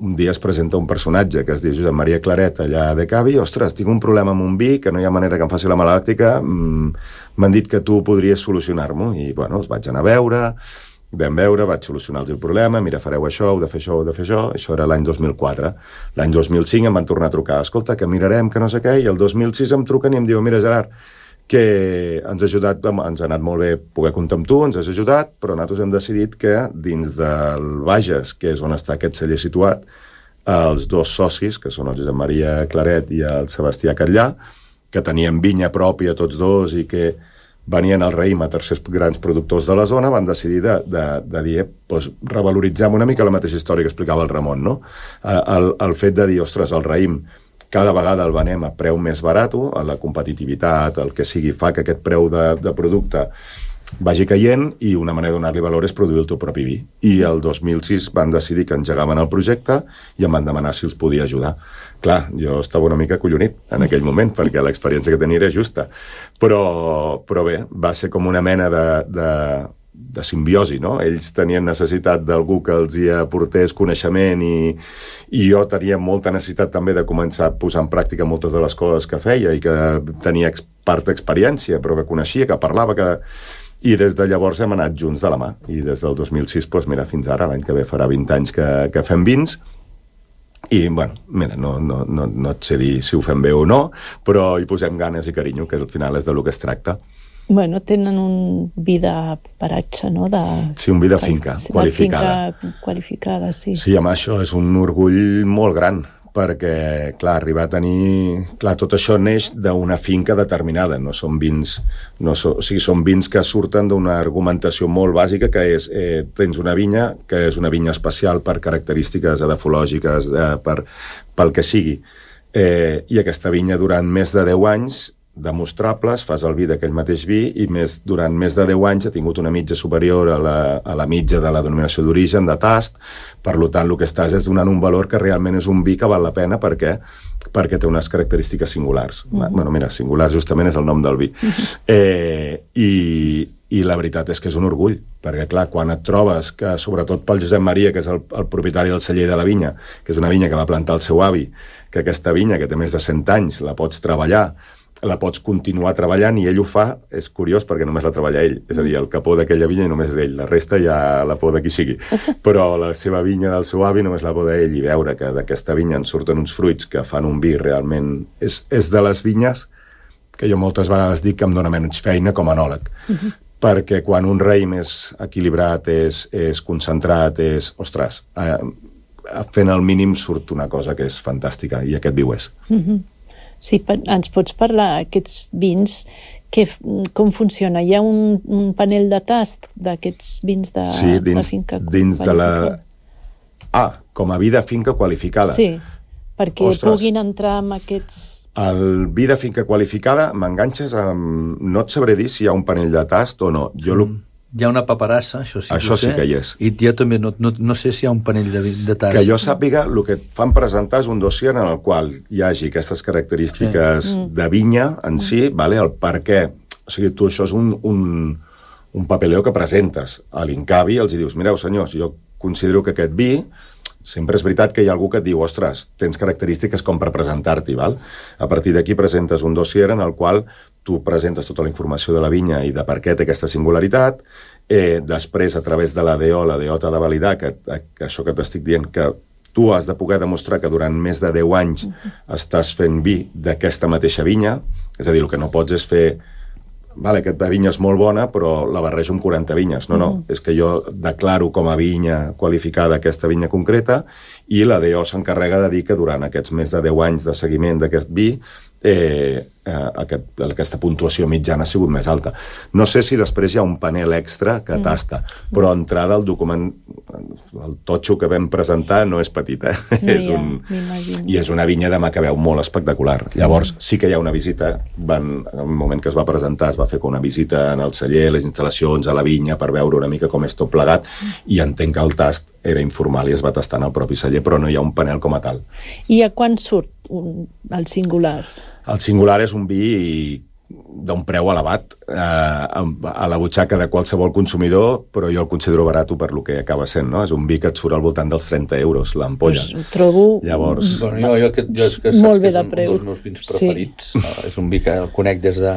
un dia es presenta un personatge que es diu Josep Maria Claret allà a Decavi, ostres, tinc un problema amb un vi que no hi ha manera que em faci la malolàctica, m'han dit que tu podries solucionar-m'ho, i bueno, els vaig anar a veure, vam veure, vaig solucionar el problema, mira, fareu això, heu de fer això, heu de fer això, això era l'any dos mil quatre. L'any dos mil cinc em van tornar a trucar, escolta, que mirarem, que no sé què, i el dos mil sis em truquen i em diuen, mira, Gerard, que ens ha ajudat, ens ha anat molt bé poder comptar amb tu, ens has ajudat, però nosaltres hem decidit que dins del Bages, que és on està aquest celler situat, els dos socis, que són el Josep Maria Claret i el Sebastià Catllà, que tenien vinya pròpia tots dos i que venien al raïm a tercers grans productors de la zona, van decidir de, de, de dir, doncs, revaloritzem una mica la mateixa història que explicava el Ramon, no? El, el fet de dir, ostres, el raïm cada vegada el venem a preu més barat, la competitivitat, el que sigui, fa que aquest preu de, de producte vagi caient i una manera de donar-li valor és produir el teu propi vi. I el dos mil sis van decidir que engegaven el projecte i em van demanar si els podia ajudar. Clar, jo estava una mica collonit en aquell moment perquè l'experiència que tenia era justa. Però, però bé, va ser com una mena de... de de simbiosi, no? Ells tenien necessitat d'algú que els hi aportés coneixement i, i jo tenia molta necessitat també de començar a posar en pràctica moltes de les coses que feia i que tenia part d'experiència, però que coneixia, que parlava, que... i des de llavors hem anat junts de la mà. I des del dos mil sis, doncs mira, fins ara, l'any que ve farà vint anys que, que fem vins, i, bueno, mira, no, no, no, no et sé dir si ho fem bé o no, però hi posem ganes i carinyo, que al final és de lo que es tracta. Bueno, tenen un vi de paratge, no? De... Sí, un vi de finca, de qualificada. Finca qualificada, sí. Sí, amb això és un orgull molt gran, perquè, clar, arribar a tenir... Clar, tot això neix d'una finca determinada, no són vins... No so... O sigui, són vins que surten d'una argumentació molt bàsica, que és, eh, tens una vinya, que és una vinya especial per característiques edafològiques, eh, per, pel que sigui. Eh, I aquesta vinya, durant més de deu anys, demostrables, fas el vi d'aquell mateix vi i més, durant més de deu anys ha tingut una mitja superior a la, a la mitja de la denominació d'origen, de tast, per tant el que estàs és donant un valor que realment és un vi que val la pena perquè, perquè té unes característiques singulars. Uh-huh. Bueno, mira, singular justament és el nom del vi. Uh-huh. Eh, i, I la veritat és que és un orgull, perquè clar, quan et trobes que, sobretot pel Josep Maria, que és el, el propietari del celler de la vinya, que és una vinya que va plantar el seu avi, que aquesta vinya, que té més de cent anys, la pots treballar, la pots continuar treballant i ell ho fa, és curiós perquè només la treballa ell, és a dir, el capó d'aquella vinya i només és ell, la resta ja la poda qui sigui, però la seva vinya del seu avi només la poda ell, i veure que d'aquesta vinya en surten uns fruits que fan un vi realment... És, és de les vinyes que jo moltes vegades dic que em dóna menys feina com a enòleg, uh-huh. perquè quan un raïm és equilibrat, és, és concentrat, és... Ostres, eh, fent el mínim surt una cosa que és fantàstica, i aquest vi ho és. Uh-huh. Sí, ens pots parlar, aquests vins, que, com funciona? Hi ha un, un panel de tast d'aquests vins de, sí, dins, de finca dins de la... Ah, com a vi de finca qualificada. Sí, perquè Ostres, puguin entrar amb aquests... El vi de finca qualificada, m'enganxes amb... No et sabré dir si hi ha un panell de tast o no. Jo mm. Hi ha una paperassa, això sí, això sí que hi és. I jo també no, no, no sé si hi ha un panell de, de tast. Que jo sàpiga, el que et fan presentar és un dossier en el qual hi hagi aquestes característiques sí. de vinya en si, vale? El per què. O sigui, tu això és un, un, un papeleo que presentes a l'Incavi, els hi dius, mireu, senyors, jo considero que aquest vi... Sempre és veritat que hi ha algú que et diu, ostres, tens característiques com per presentar-t'hi, val? A partir d'aquí presentes un dossier en el qual tu presentes tota la informació de la vinya i de per què té aquesta singularitat, eh, després, a través de l'A D O, l'A D O t'ha de validar que, que això que t'estic dient, que tu has de poder demostrar que durant més de deu anys uh-huh. estàs fent vi d'aquesta mateixa vinya, és a dir, el que no pots és fer... Vale, aquesta vinya és molt bona, però la barrejo amb quaranta vinyes. No, no, mm. és que jo declaro com a vinya qualificada aquesta vinya concreta i la D O s'encarrega de dir que durant aquests més de deu anys de seguiment d'aquest vi eh, eh, aquest, aquesta puntuació mitjana ha sigut més alta. No sé si després hi ha un panel extra que mm. tasta, però entrada al document, el totxo que vam presentar no és petit, eh? No, és un... I és una vinya de Macabeu molt espectacular. Llavors, sí que hi ha una visita, van, en el moment que es va presentar, es va fer una visita en el celler, les instal·lacions, a la vinya, per veure una mica com és tot plegat, i entenc que el tast era informal i es va tastar en el propi celler, però no hi ha un panel com a tal. I a quan surt un, el singular? El singular és un vi d'un preu elevat eh, a la butxaca de qualsevol consumidor, però jo el considero barat per lo que acaba sent, no? És un vi que et surt al voltant dels trenta euros, l'ampolla. Pues ho trobo Llavors... Bueno, jo, jo, que, jo és que molt saps bé que de és un, preu. un dels meus vins preferits. Sí. Uh, és un vi que el conec des de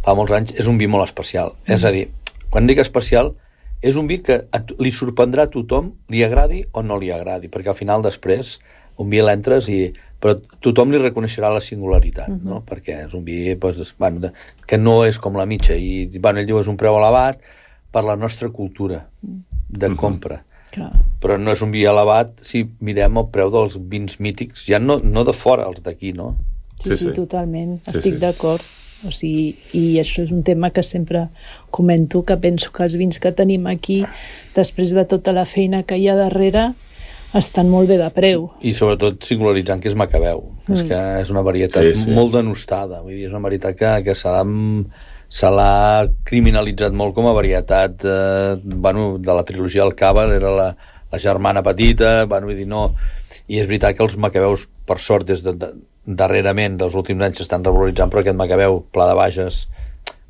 fa molts anys. És un vi molt especial. Mm. És a dir, quan dic especial, és un vi que li sorprendrà a tothom, li agradi o no li agradi, perquè al final després un vi l'entres i... però tothom li reconeixerà la singularitat, uh-huh. no? Perquè és un vi pues, bueno, de, que no és com la mitja, i bueno, ell diu és un preu elevat per la nostra cultura de uh-huh. compra. Clar. Però no és un vi elevat si mirem el preu dels vins mítics, ja no, no de fora, els d'aquí, no? Sí, sí, sí, totalment, sí, estic sí. d'acord. O sigui, i això és un tema que sempre comento, que penso que els vins que tenim aquí, després de tota la feina que hi ha darrere, estan molt bé de preu. I sobretot singularitzant que és Macabeu. Mm. És que és una varietat sí, sí. molt denostada. Vull dir, és una varietat que, que se l'ha se l'ha criminalitzat molt com a varietat eh, bueno, de la trilogia del Cava, era la, la germana petita, bueno, vull dir, no... I és veritat que els Macabeus, per sort, des de, de, darrerament, dels últims anys, s'estan revaloritzant, però aquest Macabeu, Pla de Bages,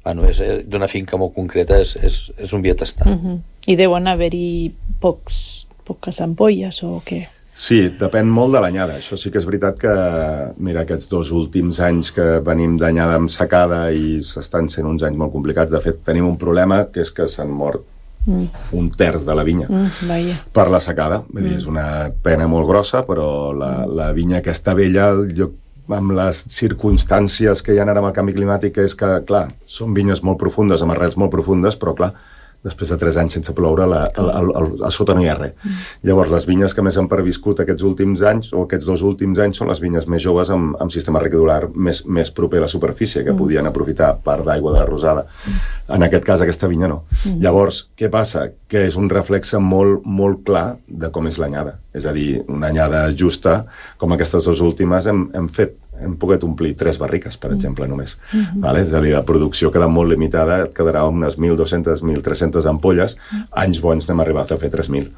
bueno, és, d'una finca molt concreta, és, és, és un viatestar. Uh-huh. I deuen haver-hi pocs, poques ampolles, o què? Sí, depèn molt de l'anyada. Això sí que és veritat que, mira, aquests dos últims anys que venim d'anyada amb secada i s'estan sent uns anys molt complicats. De fet, tenim un problema, que és que s'han mort mm. un terç de la vinya mm, per la secada. Vull dir, mm. és una pena molt grossa, però la, la vinya aquesta vella, jo, amb les circumstàncies que hi ha ara amb el canvi climàtic, és que, clar, són vinyes molt profundes, amb arrels molt profundes, però, clar, després de tres anys sense ploure, la, el, el, el, a sota no hi ha res. Mm. Llavors, les vinyes que més han perviscut aquests últims anys, o aquests dos últims anys, són les vinyes més joves amb, amb sistema recadular més, més proper a la superfície, que mm. podien aprofitar part d'aigua de la rosada. Mm. En aquest cas, aquesta vinya no. Mm. Llavors, què passa? Que és un reflexe molt, molt clar de com és l'anyada. És a dir, una anyada justa, com aquestes dues últimes, hem, hem fet hem pogut omplir tres barriques, per exemple, només. Uh-huh. Vale? És a dir, la producció queda molt limitada, et quedarà unes mil dos-centes, mil tres-centes ampolles, anys bons n'hem arribat a fer tres mil,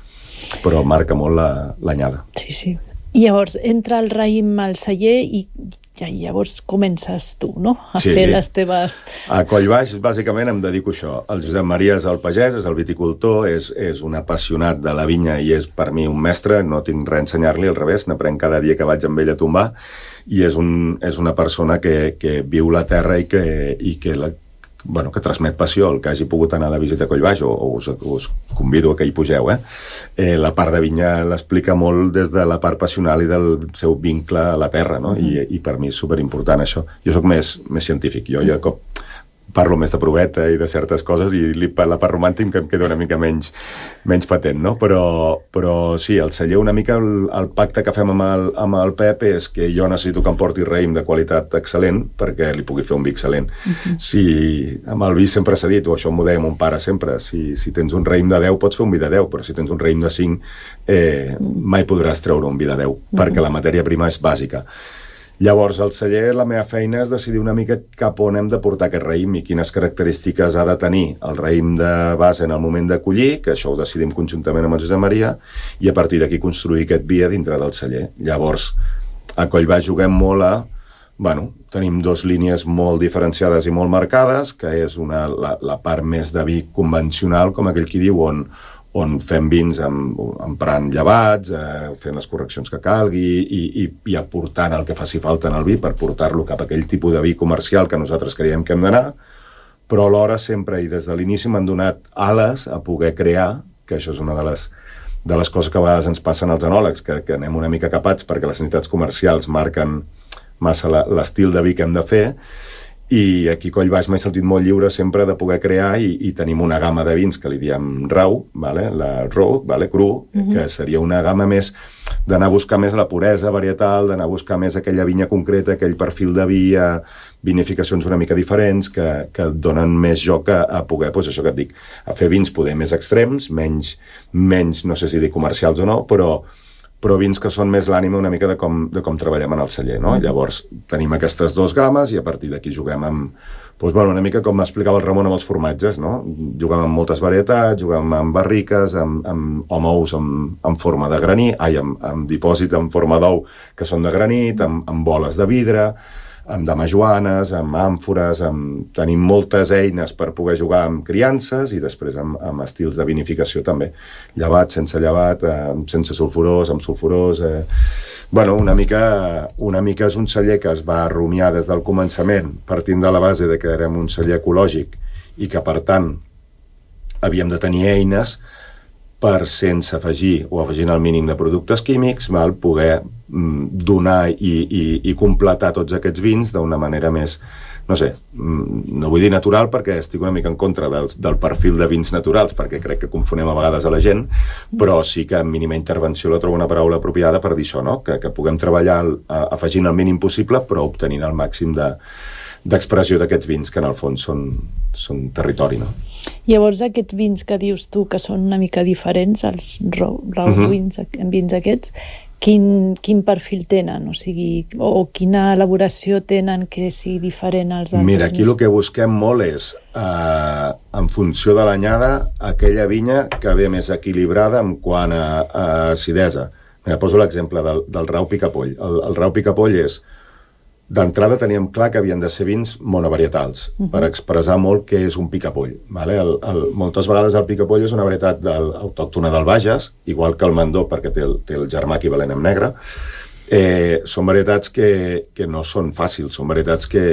però marca molt l'anyada. Sí, sí. I llavors, entra el raïm al celler i ja, llavors comences tu, no?, a sí. fer les teves... A Collbaix, bàsicament, em dedico a això. El Josep Maria és el pagès, és el viticultor, és, és un apassionat de la vinya i és per mi un mestre, no tinc res a ensenyar-li, al revés, n'aprenc cada dia que vaig amb ell a tombar, i és, un, és una persona que, que viu la terra i que, i que, la, bueno, que transmet passió. El que hagi pogut anar de visita a Collbaix, o, o us, us convido a que hi pugeu, eh? Eh, la part de vinya l'explica molt des de la part passional i del seu vincle a la terra, no? Mm. I, i per mi és superimportant això. Jo sóc més, més científic, jo ja cop parlo més de proveta i de certes coses i la part romàntic que em queda una mica menys, menys patent, no? Però, però sí, el celler una mica, el, el pacte que fem amb el, amb el Pep és que jo necessito que em porti raïm de qualitat excel·lent perquè li pugui fer un vi excel·lent. Uh-huh. Si amb el vi sempre s'ha dit, o això m'ho deia mon pare sempre, si, si tens un raïm de deu pots fer un vi de deu, però si tens un raïm de cinc eh, mai podràs treure un vi de deu, uh-huh. perquè la matèria prima és bàsica. Llavors, al celler, la meva feina és decidir una mica cap on hem de portar aquest raïm i quines característiques ha de tenir el raïm de base en el moment de collir, que això ho decidim conjuntament amb el Josep Maria, i a partir d'aquí construir aquest vi a dintre del celler. Llavors, a Collbaix juguem molt a... Bueno, tenim dues línies molt diferenciades i molt marcades, que és una, la, la part més de vi convencional, com aquell qui diu, on... on fem vins amb, emprant llevats, eh, fent les correccions que calgui i, i, i aportant el que faci falta en el vi per portar-lo cap a aquell tipus de vi comercial que nosaltres creiem que hem d'anar, però alhora sempre i des de l'inici m'han donat ales a poder crear, que això és una de les, de les coses que a vegades ens passen als enòlegs, que, que anem una mica capats perquè les necessitats comercials marquen massa l'estil de vi que hem de fer. I aquí a Collbaix m'he sentit molt lliure sempre de poder crear i, i tenim una gamma de vins que li diem rau, vale? La raw, vale? Cru, uh-huh. que seria una gamma més d'anar a buscar més la puresa varietal, d'anar a buscar més aquella vinya concreta, aquell perfil de vi, a vinificacions una mica diferents que, que donen més joc a, a poder, doncs això que et dic, a fer vins poder més extrems, menys, menys no sé si dir comercials o no, però però vins que són més l'ànima una mica de com, de com treballem en el celler, no? Llavors, tenim aquestes dues gammes i a partir d'aquí juguem amb... Doncs, bueno, una mica com m'explicava el Ramon amb els formatges, no? Juguem amb moltes varietats, juguem amb barriques, amb, amb, amb ous amb, amb forma de granit, ai, amb, amb dipòsits en forma d'ou que són de granit, amb, amb boles de vidre, amb damajoanes, amb àmfores, amb... tenim moltes eines per poder jugar amb criances i després amb, amb estils de vinificació també. Llevat, sense llevat, eh, sense sulfurós, amb sulfurós... Eh... Bueno, una mica, una mica és un celler que es va rumiar des del començament, partint de la base de que érem un celler ecològic i que, per tant, havíem de tenir eines per, sense afegir o afegint el mínim de productes químics, val, poder mm, donar i, i, i completar tots aquests vins d'una manera més, no sé, mm, no vull dir natural perquè estic una mica en contra del, del perfil de vins naturals, perquè crec que confonem a vegades a la gent, però sí que amb mínima intervenció la trobo una paraula apropiada per dir això, no? que, que puguem treballar a, afegint el mínim possible però obtenint el màxim de, d'expressió d'aquests vins, que en el fons són, són territori, no? Llavors, aquests vins que dius tu, que són una mica diferents, els raw, raw uh-huh. vins, vins aquests, quin, quin perfil tenen? O sigui, o quina elaboració tenen que sigui diferent als altres? Mira, aquí el que busquem molt és, eh, en funció de l'anyada, aquella vinya que ve més equilibrada en quant a, a acidesa. Mira, poso l'exemple del, del rau picapoll. El, el rau picapoll és, d'entrada teníem clar que havien de ser vins monovarietals, uh-huh. per expressar molt què és un picapoll. Vale? El, el, moltes vegades el picapoll és una varietat del, autòctona del Bages, igual que el Mandó, perquè té el, té el germà equivalent en negre. Eh, són varietats que, que no són fàcils, són varietats que,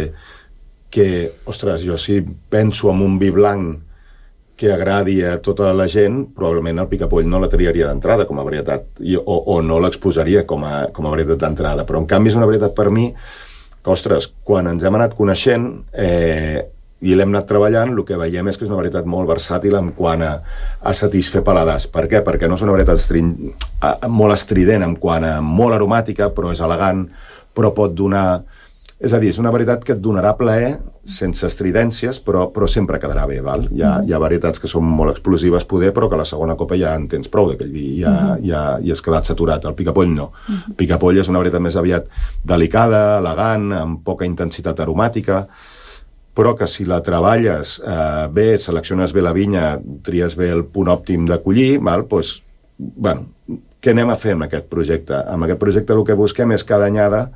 que, ostres, jo si penso en un vi blanc que agradi a tota la gent, probablement el picapoll no la triaria d'entrada com a varietat, i, o, o no l'exposaria com a, com a varietat d'entrada. Però, en canvi, és una varietat per mi que, ostres, quan ens hem anat coneixent eh, i l'hem anat treballant, el que veiem és que és una varietat molt versàtil en quant a, a satisfer paladars. Per què? Perquè no és una varietat estrin, a, molt estrident en quant a molt aromàtica, però és elegant, però pot donar... És a dir, és una varietat que et donarà plaer sense estridències, però, però sempre quedarà bé, val? Hi ha, hi ha varietats que són molt explosives, poder, però que a la segona copa ja en tens prou d'aquell vi, ja, uh-huh. ja, ja has quedat saturat. El picapoll no. Uh-huh. El picapoll és una varietat més aviat delicada, elegant, amb poca intensitat aromàtica, però que si la treballes eh, bé, selecciones bé la vinya, tries bé el punt òptim de collir, val? Doncs, bueno, què anem a fer amb aquest projecte? Amb aquest projecte el que busquem és cada anyada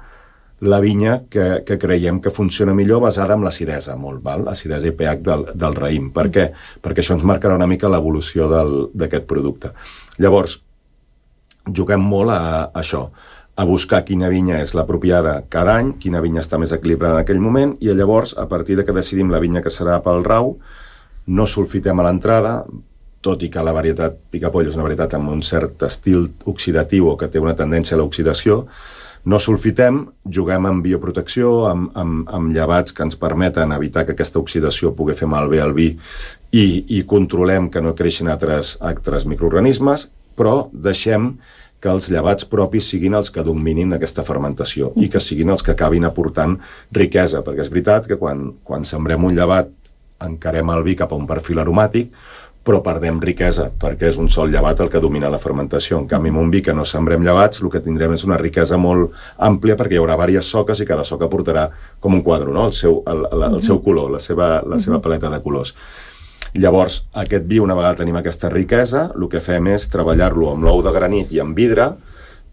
la vinya que, que creiem que funciona millor basada en l'acidesa, molt, val? Acidesa i pH del, del raïm. Per què? Perquè això ens marcarà una mica l'evolució d'aquest producte. Llavors, juguem molt a, a això, a buscar quina vinya és l'apropiada cada any, quina vinya està més equilibrada en aquell moment, i llavors, a partir de que decidim la vinya que serà pel rau, no sulfitem a l'entrada, tot i que la varietat picapoll és una varietat amb un cert estil oxidatiu o que té una tendència a l'oxidació, no sulfitem, juguem amb bioprotecció, amb, amb, amb llevats que ens permeten evitar que aquesta oxidació pugui fer malbé al vi i, i controlem que no creixin altres, altres microorganismes, però deixem que els llevats propis siguin els que dominin aquesta fermentació i que siguin els que acabin aportant riquesa, perquè és veritat que quan, quan sembrem un llevat encarem el vi cap a un perfil aromàtic, però perdem riquesa, perquè és un sol llevat el que domina la fermentació. En canvi, amb un vi que no sembrem llevats, el que tindrem és una riquesa molt àmplia, perquè hi haurà diverses soques i cada soca portarà com un quadre, no? el, seu, el, el, el seu color, la seva, la seva paleta de colors. Llavors, aquest vi, una vegada tenim aquesta riquesa, el que fem és treballar-lo amb l'ou de granit i amb vidre,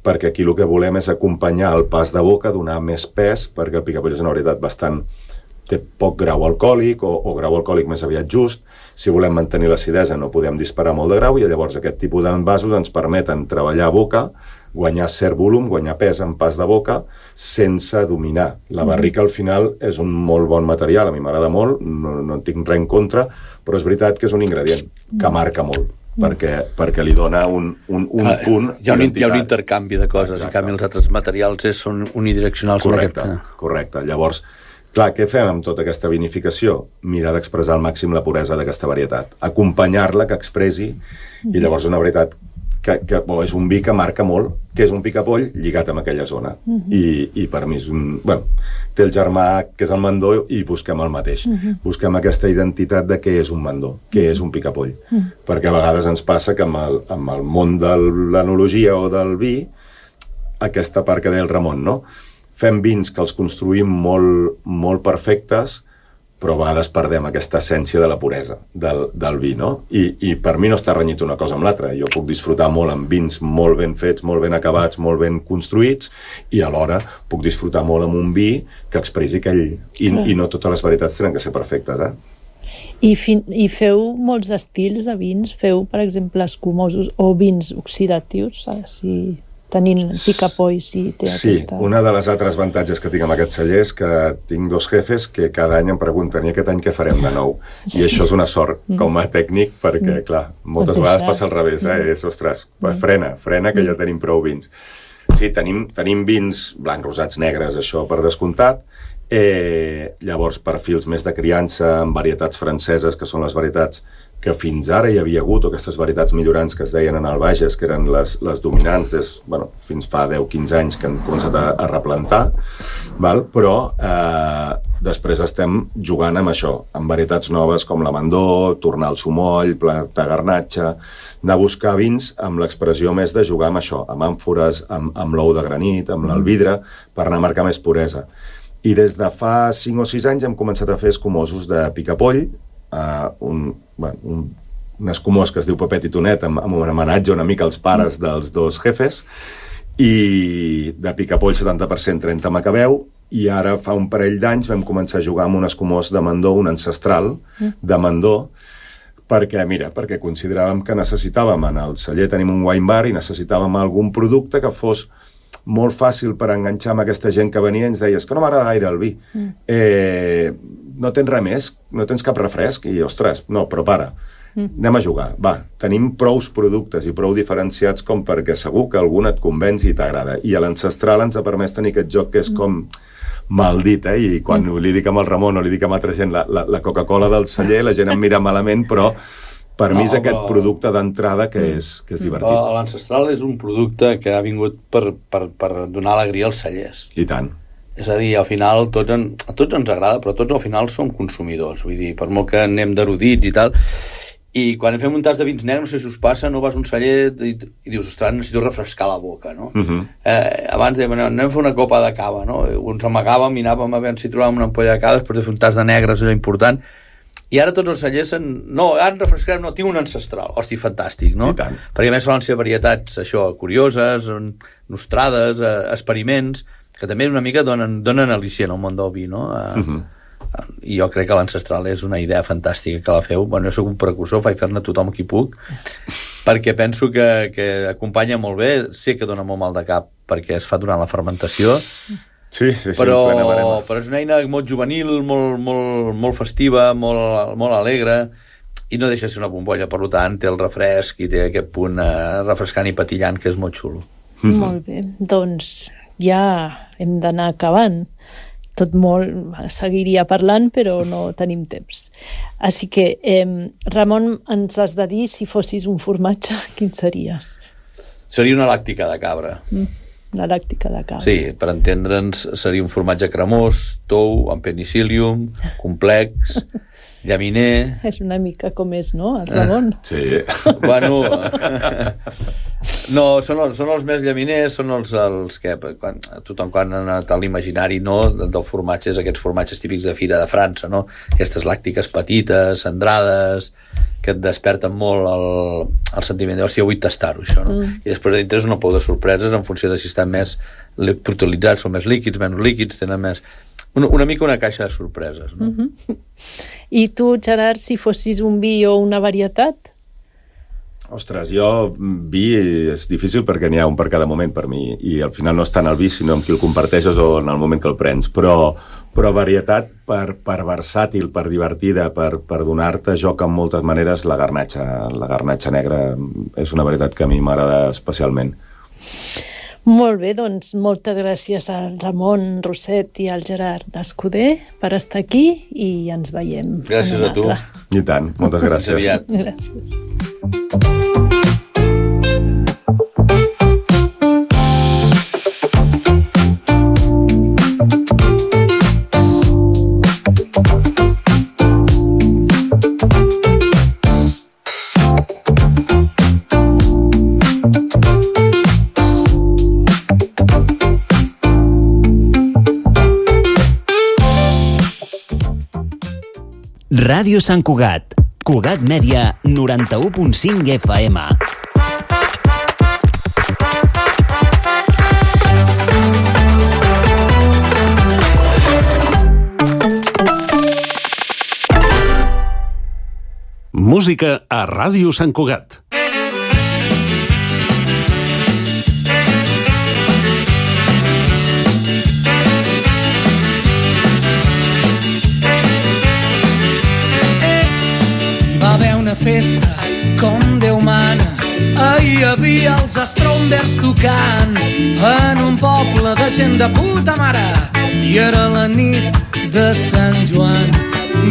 perquè aquí el que volem és acompanyar el pas de boca, donar més pes, perquè el picapoll és una varietat bastant... té poc grau alcohòlic o, o grau alcohòlic més aviat just. Si volem mantenir l'acidesa no podem disparar molt de grau i llavors aquest tipus d'envasos ens permeten treballar a boca, guanyar cert volum, guanyar pes en pas de boca, sense dominar. La barrica al final és un molt bon material, a mi m'agrada molt, no, no en tinc res en contra, però és veritat que és un ingredient que marca molt. Perquè, perquè li dona un, un, un ah, punt hi ha un, hi ha un intercanvi de coses. Exacte. En canvi els altres materials és, són unidireccionals. Correcte, aquest... correcte. Llavors, clar, què fem amb tota aquesta vinificació? Mirar d'expressar al màxim la puresa d'aquesta varietat. Acompanyar-la, que expressi, i llavors una varietat que, que bo, és un vi que marca molt, que és un picapoll lligat amb aquella zona. Uh-huh. I, I per mi és un... Bueno, té el germà que és el Mandó i busquem el mateix. Uh-huh. Busquem aquesta identitat de què és un Mandó, què és un picapoll. Uh-huh. Perquè a vegades ens passa que amb el, amb el món de l'enologia o del vi, aquesta part que deia el Ramon, no? Fem vins que els construïm molt, molt perfectes, però a vegades perdem aquesta essència de la puresa del, del vi, no? I, I per mi no està renyit una cosa amb l'altra. Jo puc disfrutar molt amb vins molt ben fets, molt ben acabats, molt ben construïts, i alhora puc disfrutar molt amb un vi que expressi aquell... I, i no totes les varietats tenen que ser perfectes, eh? I, fin, I feu molts estils de vins? Feu, per exemple, escumosos o vins oxidatius? Si... tenint picapoll, si té sí, aquesta... Sí, una de les altres avantatges que tinc amb aquest celler és que tinc dos jefes que cada any em pregunten i aquest any què farem de nou? Sí. I això és una sort com a tècnic perquè, clar, moltes vegades passa al revés, eh? És, ostres, frena, frena que ja tenim prou vins. Sí, tenim, tenim vins blancs, rosats, negres, això per descomptat. Eh, llavors, perfils més de criança amb varietats franceses, que són les varietats que fins ara hi havia hagut, o aquestes varietats millorants que es deien en el Bages, que eren les, les dominants des, bueno, fins fa deu quinze anys que han començat a, a replantar, val? Però eh, després estem jugant amb això, amb varietats noves com l'amandó, tornar al sumoll, plat de garnatxa, anar a buscar vins amb l'expressió més de jugar amb això, amb àmfores, amb, amb l'ou de granit, amb l'albidre, per anar a marcar més puresa. I des de fa cinc o sis anys hem començat a fer escumosos de picapoll, uh, un, bueno, un, un escumós que es diu Pepet i Tonet, amb, amb un homenatge una mica als pares dels dos jefes, i de picapoll setanta per cent trenta macabeu, i ara fa un parell d'anys vam començar a jugar amb un escumós de mandó, un ancestral de mandó, perquè, mira, perquè consideràvem que necessitàvem, en el celler tenim un wine bar i necessitàvem algun producte que fos molt fàcil per enganxar amb aquesta gent que venia i ens deia, és que no m'agrada gaire el vi. Mm. Eh, no tens res més? No tens cap refresc? I, ostres, no, però para. Mm. Anem a jugar. Va, tenim prous productes i prou diferenciats com perquè segur que algun et convenci i t'agrada. I l'ancestral ens ha permès tenir aquest joc que és com maldit, eh? I quan mm. li dic amb el Ramon o li dic amb altra gent la, la, la Coca-Cola del celler, la gent em mira malament, però per no, mi és aquest però... producte d'entrada que és, que és divertit. L'ancestral és un producte que ha vingut per, per, per donar alegria als cellers. I tant. És a dir, al final tots en, a tots ens agrada, però tots al final som consumidors. Vull dir, per molt que anem d'erudits i tal. I quan fem un tas de vins negres, no sé si us passa, no vas a un celler i, i dius, ostres, necessito refrescar la boca, no? Uh-huh. eh, abans dèiem, anem a fer una copa de cava, no? Ens amagàvem i anàvem a veure si trobàvem una ampolla de cava després de fer un tas de negres, allò important. I ara tots els cellers en... No, ara en refrescarem, no, tinc un ancestral. Hosti, fantàstic, no? I tant. Perquè a més solen ser varietats, això, curioses, nostrades, eh, experiments, que també una mica donen, donen al·licient al món del vi, no? Eh, uh-huh. I jo crec que l'ancestral és una idea fantàstica que la feu. Bueno, jo soc un precursor, faig fer-ne tothom qui puc, perquè penso que, que acompanya molt bé. Sé que dona molt mal de cap perquè es fa durant la fermentació, sí, sí, sí, però, però és una eina molt juvenil, molt, molt, molt festiva, molt, molt alegre, i no deixa de ser una bombolla, per tant té el refresc i té aquest punt eh, refrescant i patillant que és molt xulo. Mm-hmm. Molt bé, doncs ja hem d'anar acabant. Tot molt seguiria parlant, però no tenim temps. Així que, eh, Ramon, ens has de dir, si fossis un formatge, quin series? Seria una làctica de cabra. Mm. La làctica de cabra. Sí, per entendre'ns, seria un formatge cremós, tou, amb penicillium, complex, llaminer... És una mica com és, no, el Ramon? Sí. Bueno, no, són els, són els més llaminers, són els, els que quan, tothom quan ha anat a l'imaginari, no, del formatge, és aquests formatges típics de Fira de França, no? Aquestes làctiques petites, centrades, que et desperten molt el, el sentiment de, hòstia, vull tastar-ho, això, no? Mm. I després dintre és una pou de sorpreses en funció de si estan més protolitzats, són més líquids, menys líquids, tenen més... Una, una mica una caixa de sorpreses, no? Mm-hmm. I tu, Gerard, si fossis un vi o una varietat? Ostres, jo vi és difícil perquè n'hi ha un per cada moment per mi, i al final no és tant el vi sinó amb qui el comparteixes o en el moment que el prens, però, però varietat per, per versàtil, per divertida, per, per donar-te joc en moltes maneres, la garnatxa, la garnatxa negra és una varietat que a mi m'agrada especialment. Molt bé, doncs moltes gràcies al Ramon Roset i al Gerard Escuder per estar aquí i ens veiem. Gràcies a tu. I tant, moltes gràcies. Gràcies. Ràdio Sant Cugat, Cugat Mèdia, noranta-u punt cinc F M. Música a Ràdio Sant Cugat. Festa com Déu mana, ahir hi havia els Strongbers tocant en un poble de gent de puta mare i era la nit de Sant Joan.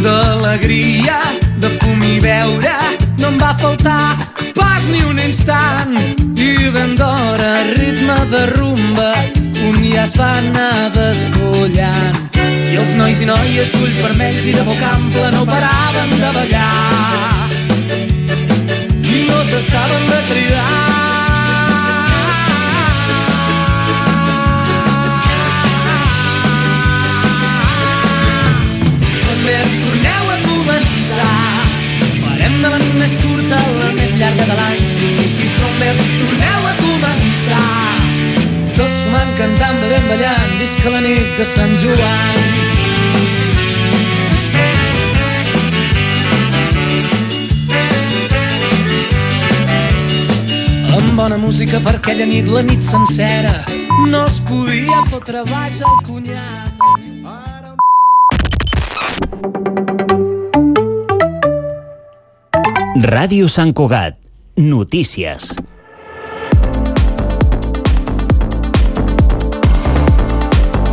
D'alegria, de fum i beure no em va faltar pas ni un instant i ben d'hora ritme de rumba un ja es va anar despullant. i els nois i noies d'ulls vermells i de boca ampla no paraven de ballar i no s'estaven de cridar. Estrombers, torneu a començar, farem de la nit més curta la més llarga de l'any. Sí, sí, sí, estrombers, torneu a començar, tots fumant, cantant, bevent, ballant, visca la nit de Sant Joan. Amb bona música per aquella nit, la nit sencera, no es podia fotre baix el cunyat. Ràdio Sant Cugat. Notícies.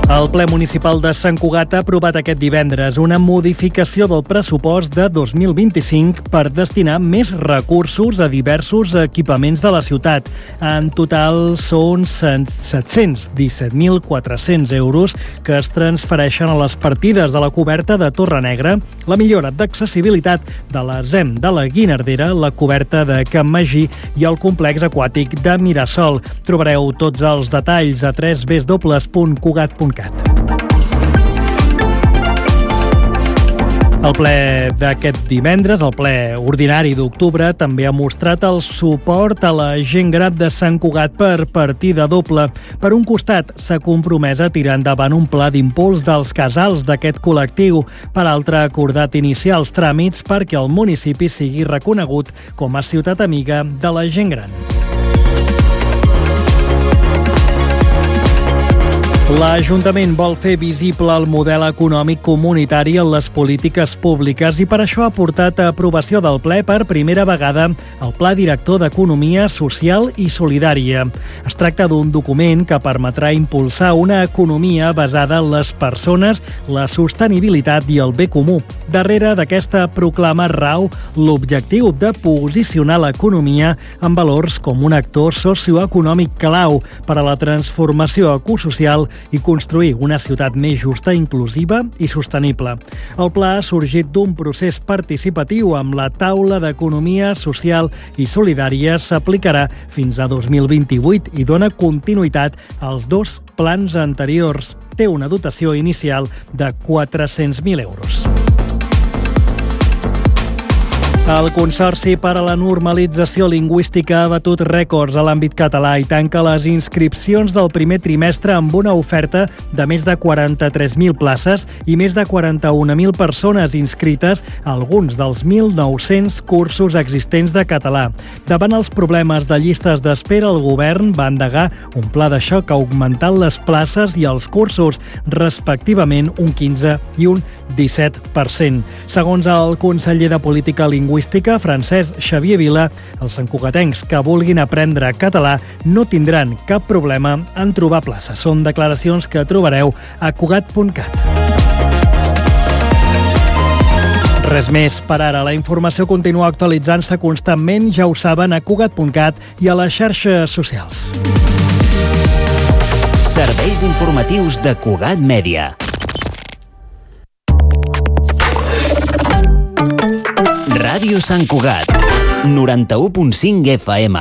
El ple municipal de Sant Cugat ha aprovat aquest divendres una modificació del pressupost de dos mil vint-i-cinc per destinar més recursos a diversos equipaments de la ciutat. En total són set-cents disset mil quatre-cents euros que es transfereixen a les partides de la coberta de Torre Negra, la millora d'accessibilitat de la Z E M de la Guinardera, la coberta de Can Magí i el complex aquàtic de Mirasol. Trobareu tots els detalls a w w w punt cugat punt cat. El ple d'aquest divendres, el ple ordinari d'octubre, també ha mostrat el suport a la gent gran de Sant Cugat per partida doble. Per un costat, s'ha compromès a tirar endavant un pla d'impuls dels casals d'aquest col·lectiu. Per altre, ha acordat iniciar els tràmits perquè el municipi sigui reconegut com a ciutat amiga de la gent gran. L'Ajuntament vol fer visible el model econòmic comunitari en les polítiques públiques i per això ha portat a aprovació del ple per primera vegada el Pla Director d'Economia Social i Solidària. Es tracta d'un document que permetrà impulsar una economia basada en les persones, la sostenibilitat i el bé comú. Darrere d'aquesta proclama rau l'objectiu de posicionar l'economia en valors com un actor socioeconòmic clau per a la transformació ecosocial i construir una ciutat més justa, inclusiva i sostenible. El pla ha sorgit d'un procés participatiu amb la taula d'economia social i solidària. S'aplicarà fins a dos mil vint-i-vuit i dona continuïtat als dos plans anteriors. Té una dotació inicial de quatre-cents mil euros. El Consorci per a la Normalització Lingüística ha batut rècords a l'àmbit català i tanca les inscripcions del primer trimestre amb una oferta de més de quaranta-tres mil places i més de quaranta-un mil persones inscrites a alguns dels mil nou-cents cursos existents de català. Davant els problemes de llistes d'espera, el govern va endegar un pla de xoc augmentant les places i els cursos, respectivament un quinze i un disset per cent. Segons el conseller de Política Lingüística, Francesc Xavier Vila, els santcugatencs que vulguin aprendre català no tindran cap problema en trobar plaça. Són declaracions que trobareu a cugat punt cat. Res més per ara. La informació continua actualitzant-se constantment, ja ho saben, a cugat punt cat i a les xarxes socials. Serveis informatius de Cugat Mèdia. Ràdio Sant Cugat, noranta-u punt cinc F M.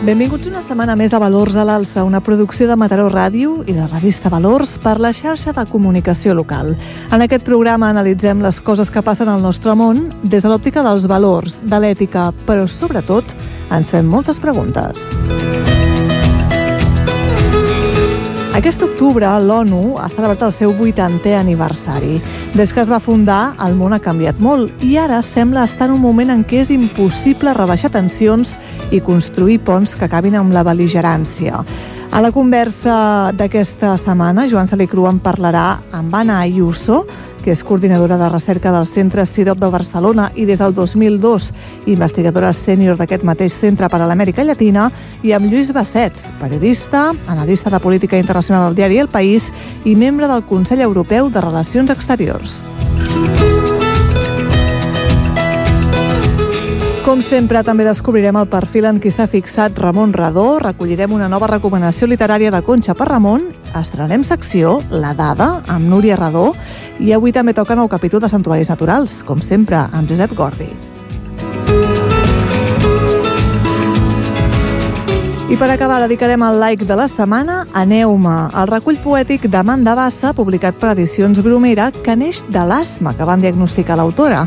Benvinguts una setmana més a Valors a l'Alça, una producció de Mataró Ràdio i de revista Valors per la xarxa de comunicació local. En aquest programa analitzem les coses que passen al nostre món des de l'òptica dels valors, de l'ètica, però sobretot ens fem moltes preguntes. Aquest octubre, l'ONU ha celebrat el seu vuitantè aniversari. Des que es va fundar, el món ha canviat molt i ara sembla estar en un moment en què és impossible rebaixar tensions i construir ponts que acabin amb la bel·ligerància. A la conversa d'aquesta setmana, Joan Salicru en parlarà amb Anna Ayuso, que és coordinadora de recerca del Centre CIDOB de Barcelona i des del dos mil dos investigadora sènior d'aquest mateix centre per a l'Amèrica Llatina, i amb Lluís Bassets, periodista, analista de política internacional al diari El País i membre del Consell Europeu de Relacions Exteriors. Com sempre, també descobrirem el perfil en qui s'ha fixat Ramon Radó, recollirem una nova recomanació literària de Conxa per Ramon, estrenarem secció La Dada amb Núria Radó i avui també toca nou capítol de Santuaris Naturals, com sempre, amb Josep Gordi. I per acabar dedicarem el like de la setmana a Neuma, el recull poètic d'Amanda Bassa, publicat per Edicions Bromera, que neix de l'asma que van diagnosticar l'autora,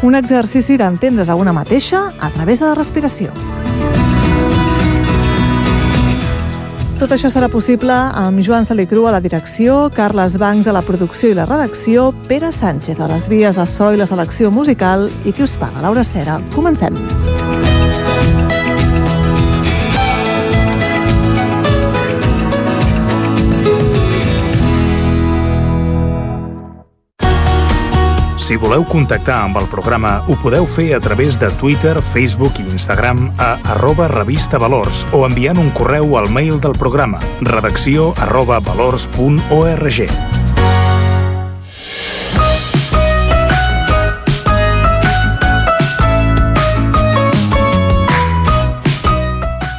un exercici d'entendre's a una mateixa a través de la respiració. Tot això serà possible amb Joan Salicru a la direcció, Carles Bancs a la producció i la redacció, Pere Sánchez a les vies de so i la selecció musical i qui us parla, Laura Cera. Comencem. Si voleu contactar amb el programa, ho podeu fer a través de Twitter, Facebook i Instagram a arroba revista valors o enviant un correu al mail del programa redacció arroba valors punt org.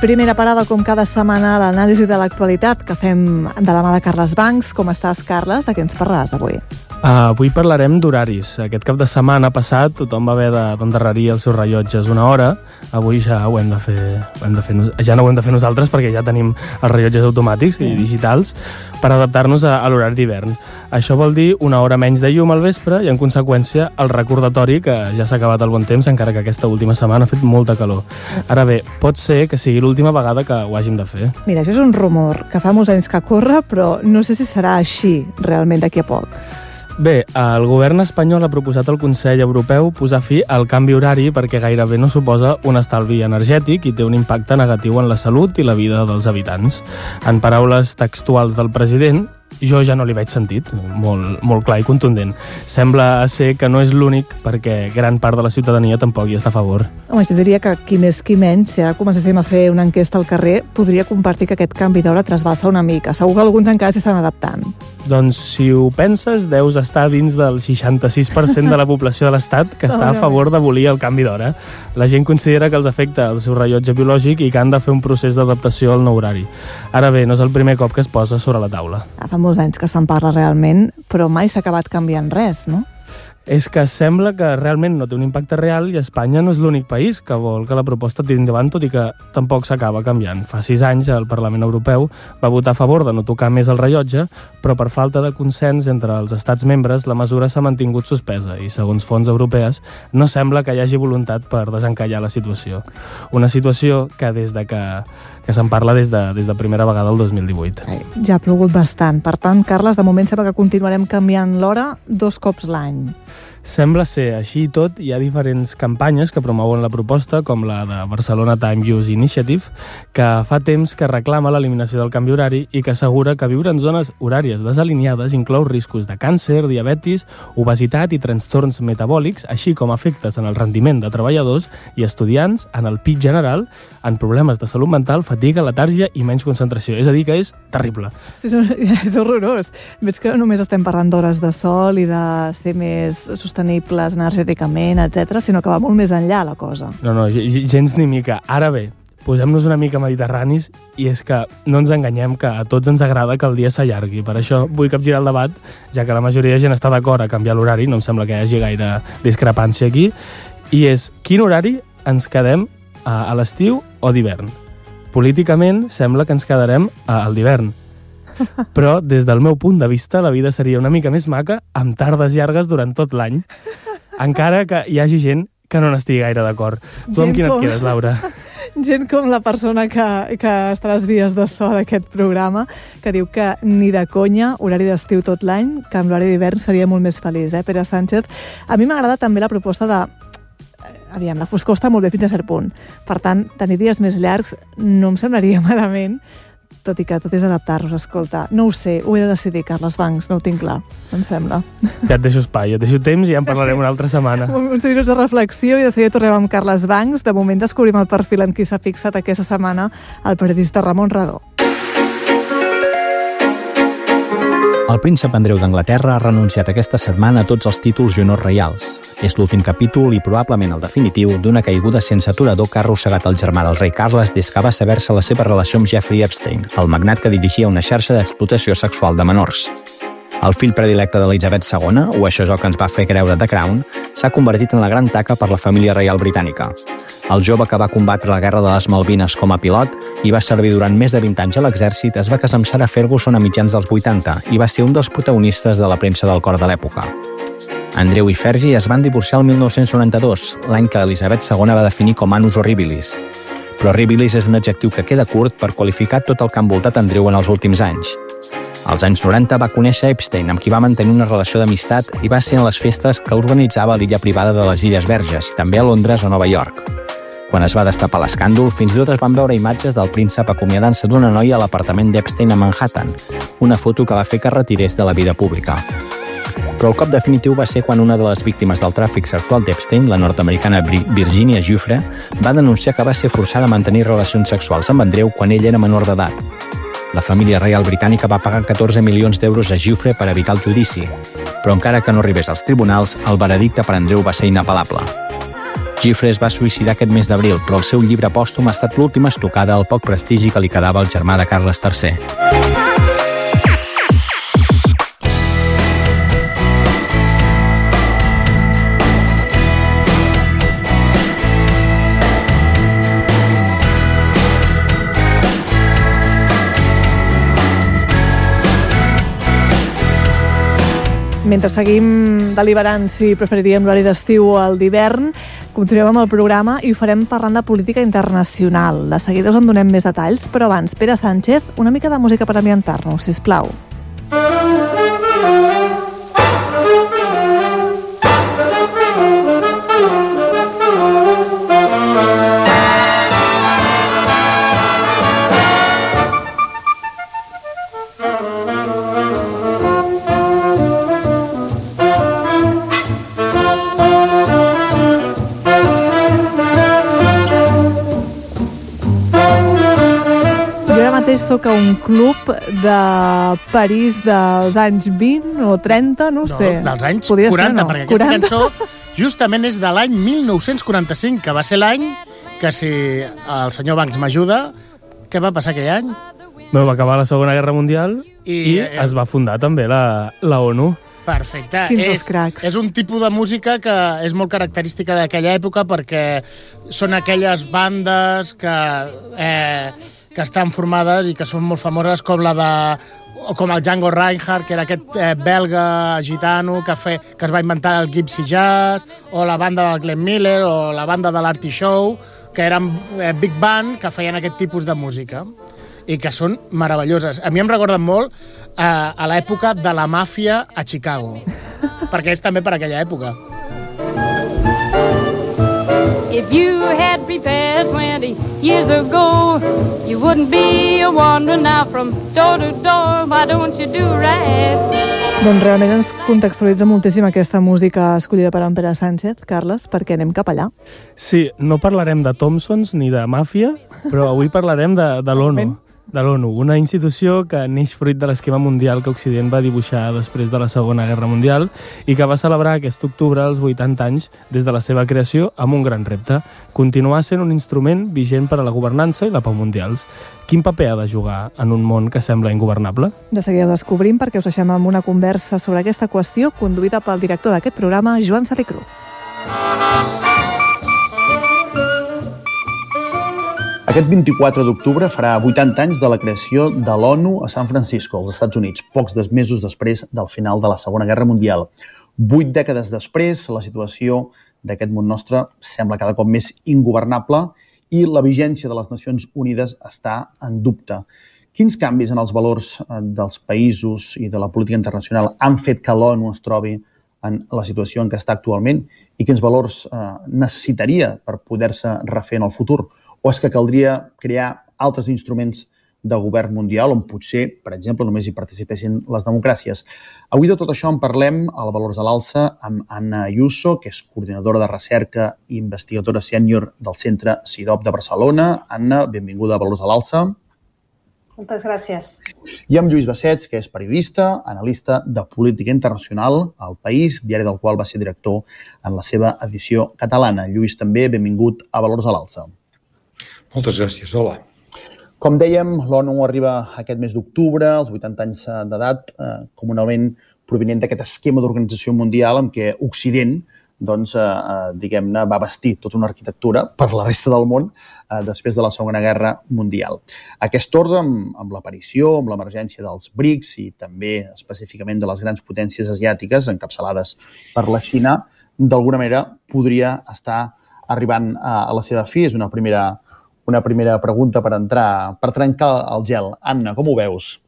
Primera parada, com cada setmana, a l'anàlisi de l'actualitat que fem de la mà de Carles Bancs. Com estàs, Carles? De què ens parlaràs avui? Uh, avui parlarem d'horaris. Aquest cap de setmana passat tothom va haver d'endarrerir els seus rellotges una hora. Avui ja ho hem de fer, ho hem de fer ja no ho hem de fer nosaltres perquè ja tenim els rellotges automàtics sí. i digitals per adaptar-nos a, a l'horari d'hivern. Això vol dir una hora menys de llum al vespre i, en conseqüència, el recordatori que ja s'ha acabat el bon temps, encara que aquesta última setmana ha fet molta calor. Ara bé, pot ser que sigui l'última vegada que ho hàgim de fer. Mira, això és un rumor que fa molts anys que corre, però no sé si serà així realment d'aquí a poc. Bé, el govern espanyol ha proposat al Consell Europeu posar fi al canvi horari perquè gairebé no suposa un estalvi energètic i té un impacte negatiu en la salut i la vida dels habitants. En paraules textuals del president, jo ja no li veig sentit, molt, molt clar i contundent. Sembla ser que no és l'únic perquè gran part de la ciutadania tampoc hi està a favor. Home, jo diria que qui més qui menys, si ara comencéssim a fer una enquesta al carrer, podria compartir que aquest canvi d'hora trasbalsa una mica. Segur que alguns encara s'estan adaptant. Doncs si ho penses, deus estar dins del seixanta-sis per cent de la població de l'Estat que està a favor d'abolir el canvi d'hora. La gent considera que els afecta el seu rellotge biològic i que han de fer un procés d'adaptació al nou horari. Ara bé, no és el primer cop que es posa sobre la taula. Fa molts anys que se'n parla realment, però mai s'ha acabat canviant res, no? És que sembla que realment no té un impacte real i Espanya no és l'únic país que vol que la proposta tiri endavant, tot i que tampoc s'acaba canviant. Fa sis anys el Parlament Europeu va votar a favor de no tocar més el rellotge, però per falta de consens entre els estats membres la mesura s'ha mantingut suspesa i, segons fonts europees, no sembla que hi hagi voluntat per desencallar la situació. Una situació que des de que, que se'n parla des de, des de primera vegada el dos mil divuit. Ai, ja ha plogut bastant. Per tant, Carles, de moment sembla que continuarem canviant l'hora dos cops l'any. Sembla ser així i tot. Hi ha diferents campanyes que promouen la proposta, com la de Barcelona Time Use Initiative, que fa temps que reclama l'eliminació del canvi horari i que assegura que viure en zones horàries desalineades inclou riscos de càncer, diabetis, obesitat i trastorns metabòlics, així com efectes en el rendiment de treballadors i estudiants, en el pic general, en problemes de salut mental, fatiga, letàrgia i menys concentració. És a dir, que és terrible. Sí, és horrorós. Veig que només estem parlant d'hores de sol i de ser més sostenibles energèticament, etcètera, sinó que va molt més enllà la cosa. No, no, gens ni mica. Ara bé, posem-nos una mica mediterranis i és que no ens enganyem que a tots ens agrada que el dia s'allargui. Per això vull capgirar el debat, ja que la majoria de gent està d'acord a canviar l'horari, no em sembla que hi hagi gaire discrepància aquí, i és quin horari ens quedem a, a l'estiu o d'hivern. Políticament sembla que ens quedarem al d'hivern. Però, des del meu punt de vista, la vida seria una mica més maca amb tardes llargues durant tot l'any, encara que hi hagi gent que no n'estigui gaire d'acord. Tu amb quina et quedes, Laura? Gent com la persona que, que està a les vies de so d'aquest programa, que diu que ni de conya, horari d'estiu tot l'any, que amb l'horari d'hivern seria molt més feliç, eh, Pere Sánchez? A mi m'agrada també la proposta de... Aviam, la foscor està molt bé fins a cert punt. Per tant, tenir dies més llargs no em semblaria malament, tot i que tot és adaptar-nos. Escolta, no ho sé, ho he de decidir, Carles Bancs, no ho tinc clar, em sembla. Ja et deixo espai, et deixo temps i ja en parlarem una altra setmana. Uns minuts de reflexió i de seguida tornem amb Carles Bancs. De moment descobrim el perfil en qui s'ha fixat aquesta setmana el periodista Ramon Radó. El príncep Andreu d'Anglaterra ha renunciat aquesta setmana a tots els títols i honors reials. És l'últim capítol i probablement el definitiu d'una caiguda sense aturador que ha arrossegat el germà del rei Carles des que va saber-se la seva relació amb Jeffrey Epstein, el magnat que dirigia una xarxa d'explotació sexual de menors. El fill predilecte d'Elisabet segona, o això és el que ens va fer creure The Crown, s'ha convertit en la gran taca per la família reial britànica. El jove que va combatre la Guerra de les Malvines com a pilot i va servir durant més de vint anys a l'exèrcit es va casar amb Sarah Ferguson a mitjans dels vuitanta i va ser un dels protagonistes de la premsa del cor de l'època. Andreu i Fergie es van divorciar el mil nou-cents noranta-dos, l'any que Elisabet segona va definir com annus horribilis. Però horribilis és un adjectiu que queda curt per qualificar tot el que ha envoltat Andreu en els últims anys. Als anys noranta va conèixer Epstein, amb qui va mantenir una relació d'amistat i va ser en les festes que organitzava a l'illa privada de les Illes Verges, també a Londres o Nova York. Quan es va destapar l'escàndol, fins i tot es van veure imatges del príncep acomiadant-se d'una noia a l'apartament d'Epstein a Manhattan, una foto que va fer que es retirés de la vida pública. Però el cop definitiu va ser quan una de les víctimes del tràfic sexual d'Epstein, la nord-americana Virginia Giuffre, va denunciar que va ser forçada a mantenir relacions sexuals amb Andreu quan ell era menor d'edat. La família reial britànica va pagar catorze milions d'euros a Giuffre per evitar el judici, però encara que no arribés als tribunals, el veredicte per Andreu va ser inapel·lable. Giuffre es va suïcidar aquest mes d'abril, però el seu llibre pòstum ha estat l'última estocada al poc prestigi que li quedava al germà de Carles tercer. Mentre seguim deliberant si preferiríem l'horari d'estiu o el d'hivern, continuem amb el programa i ho farem parlant de política internacional. De seguida us en donem més detalls, però abans, Pere Sánchez, una mica de música per ambientar-nos, sisplau. Soc a un club de París dels anys vint o trenta, no ho no, sé. Dels anys Podria quaranta, ser, no? perquè aquesta quaranta? cançó justament és de l'any mil nou-cents quaranta-cinc, que va ser l'any que, si el senyor Banks m'ajuda, què va passar aquell any? Bé, va acabar la Segona Guerra Mundial i, i eh, es va fundar també la, la ONU. Perfecte. Quins és, els cracs. és un tipus de música que és molt característica d'aquella època perquè són aquelles bandes que... Eh, que estan formades i que són molt famoses, com la de com el Django Reinhardt, que era aquest eh, belga gitano que, fe, que es va inventar el Gypsy Jazz, o la banda del Glenn Miller, o la banda de l'Artie Shaw, que eren eh, big band que feien aquest tipus de música i que són meravelloses. A mi em recorden molt eh, a l'època de la màfia a Chicago, perquè és també per aquella època. If you had prepared twenty years ago, you wouldn't be a wandering now from door to door. Why don't you do right? Doncs realment ens contextualitza moltíssim aquesta música escollida per en Pere Sánchez, Carles, perquè anem cap allà. Sí, no parlarem de Thompsons ni de màfia, però avui parlarem de, de l'ONU. De l'ONU, una institució que neix fruit de l'esquema mundial que Occident va dibuixar després de la Segona Guerra Mundial i que va celebrar aquest octubre els vuitanta anys des de la seva creació amb un gran repte, continuar sent un instrument vigent per a la governança i la pau mundials. Quin paper ha de jugar en un món que sembla ingovernable? De seguida ho descobrim perquè us deixem amb una conversa sobre aquesta qüestió conduïda pel director d'aquest programa, Joan Salicru. Aquest vint-i-quatre d'octubre farà vuitanta anys de la creació de l'ONU a San Francisco, als Estats Units, pocs mesos després del final de la Segona Guerra Mundial. Vuit dècades després, la situació d'aquest món nostre sembla cada cop més ingovernable i la vigència de les Nacions Unides està en dubte. Quins canvis en els valors dels països i de la política internacional han fet que l'ONU es trobi en la situació en què està actualment i quins valors eh, necessitaria per poder-se refer en el futur? O és que caldria crear altres instruments de govern mundial on potser, per exemple, només hi participessin les democràcies? Avui de tot això en parlem al Valors a l'Alça amb Anna Ayuso, que és coordinadora de recerca i investigadora sènior del Centre CIDOB de Barcelona. Anna, benvinguda a Valors a l'Alça. Moltes gràcies. I amb Lluís Bassets, que és periodista, analista de política internacional al País, diari del qual va ser director en la seva edició catalana. Lluís, també, benvingut a Valors a l'Alça. Moltes gràcies, hola. Com dèiem, l'ONU arriba aquest mes d'octubre, als vuitanta anys d'edat, eh, com un element provinent d'aquest esquema d'organització mundial en què Occident doncs, eh, diguem-ne, va bastir tota una arquitectura per la resta del món eh, després de la Segona Guerra Mundial. Aquest ordre, amb, amb l'aparició, amb l'emergència dels BRICS i també específicament de les grans potències asiàtiques encapçalades per la Xina, d'alguna manera podria estar arribant a, a la seva fi. És una primera, una primera pregunta per entrar, per trencar el gel. Anna, com ho veus?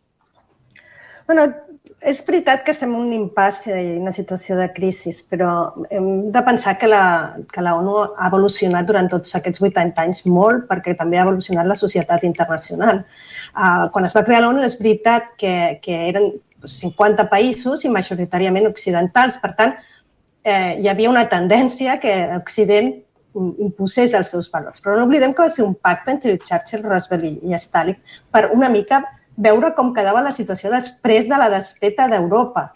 Bueno, és veritat que estem en un impàs i una situació de crisi, però hem de pensar que la, que la ONU ha evolucionat durant tots aquests vuitanta anys molt, perquè també ha evolucionat la societat internacional. Uh, quan es va crear l'ONU és veritat que, que eren cinquanta països i majoritàriament occidentals, per tant, eh, hi havia una tendència que Occident imposés els seus valors. Però no oblidem que va ser un pacte entre Churchill, Roosevelt i Stalin per una mica veure com quedava la situació després de la desfeta d'Europa.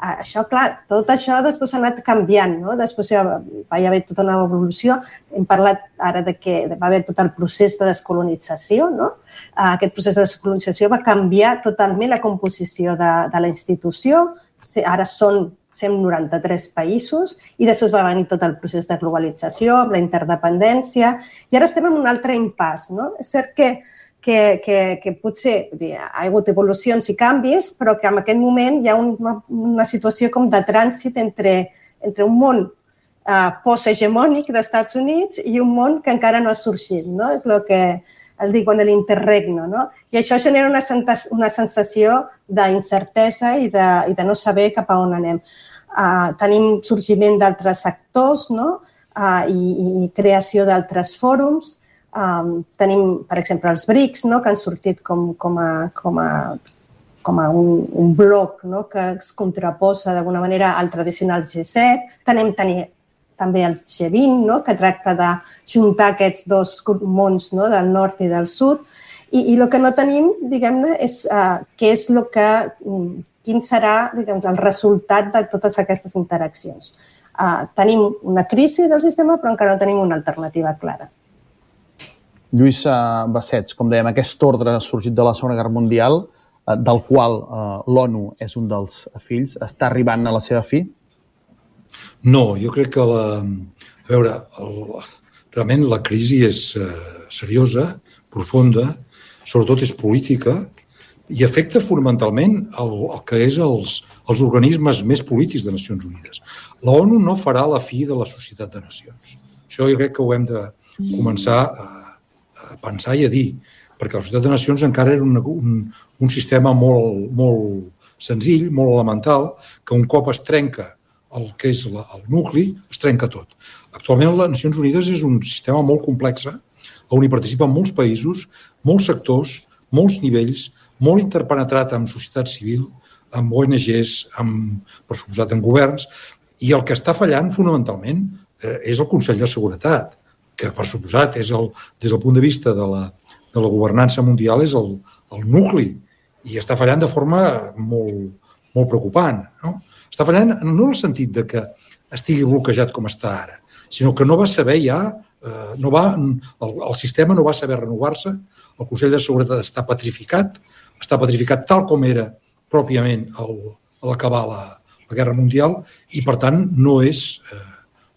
Això, clar, tot això després ha anat canviant, no? Després ja va haver tota una evolució. Hem parlat ara de que va haver tot el procés de descolonització, no? Aquest procés de descolonització va canviar totalment la composició de, de la institució. Ara són cent noranta-tres països i després va venir tot el procés de globalització, la interdependència, i ara estem en un altre impàs, no? És cert que Que, que, que potser dir, ha hagut evolucions i canvis, però que en aquest moment hi ha una, una situació com de trànsit entre, entre un món uh, post-hegemònic dels Estats Units i un món que encara no ha sorgit, no? És el que el diuen l'interregno, no? I això genera una, una sensació d'incertesa i, de, i de no saber cap a on anem. Uh, tenim sorgiment d'altres actors, no? uh, i, i creació d'altres fòrums. Um, tenim, per exemple, els BRICS, no? Que han sortit com, com a, com a, com a un, un bloc, no? Que es contraposa d'alguna manera al tradicional G set. Tenim, tenim també el G vint, no? Que tracta de juntar aquests dos mons, no? Del nord i del sud. I, i el que no tenim, diguem-ne, és uh, què és el que, quin serà, diguem, el resultat de totes aquestes interaccions. Uh, tenim una crisi del sistema, però encara no tenim una alternativa clara. Lluís Bassets, com dèiem, aquest ordre sorgit de la Segona Guerra Mundial, del qual l'ONU és un dels fills, està arribant a la seva fi? No, jo crec que la... A veure, el, realment la crisi és uh, seriosa, profunda, sobretot és política i afecta fonamentalment el, el que és els, els organismes més polítics de Nacions Unides. La ONU no farà la fi de la Societat de Nacions. Això jo crec que ho hem de començar a a pensar i a dir, perquè la Societat de Nacions encara era un, un, un sistema molt, molt senzill, molt elemental, que un cop es trenca el que és la, el nucli, es trenca tot. Actualment les Nacions Unides és un sistema molt complex, on hi participen molts països, molts sectors, molts nivells, molt interpenetrat amb societat civil, amb O N Ges, amb, per suposat, en governs, i el que està fallant fonamentalment eh, és el Consell de Seguretat, que per suposat és el, des del punt de vista de la, de la governança mundial és el, el nucli i està fallant de forma molt, molt preocupant. No? Està fallant no en el sentit de que estigui bloquejat com està ara, sinó que no va saber ja, eh, no va, el, el sistema no va saber renovar-se, el Consell de Seguretat està petrificat, està petrificat tal com era pròpiament el, a l'acabar la, la Guerra Mundial i per tant no és... Eh,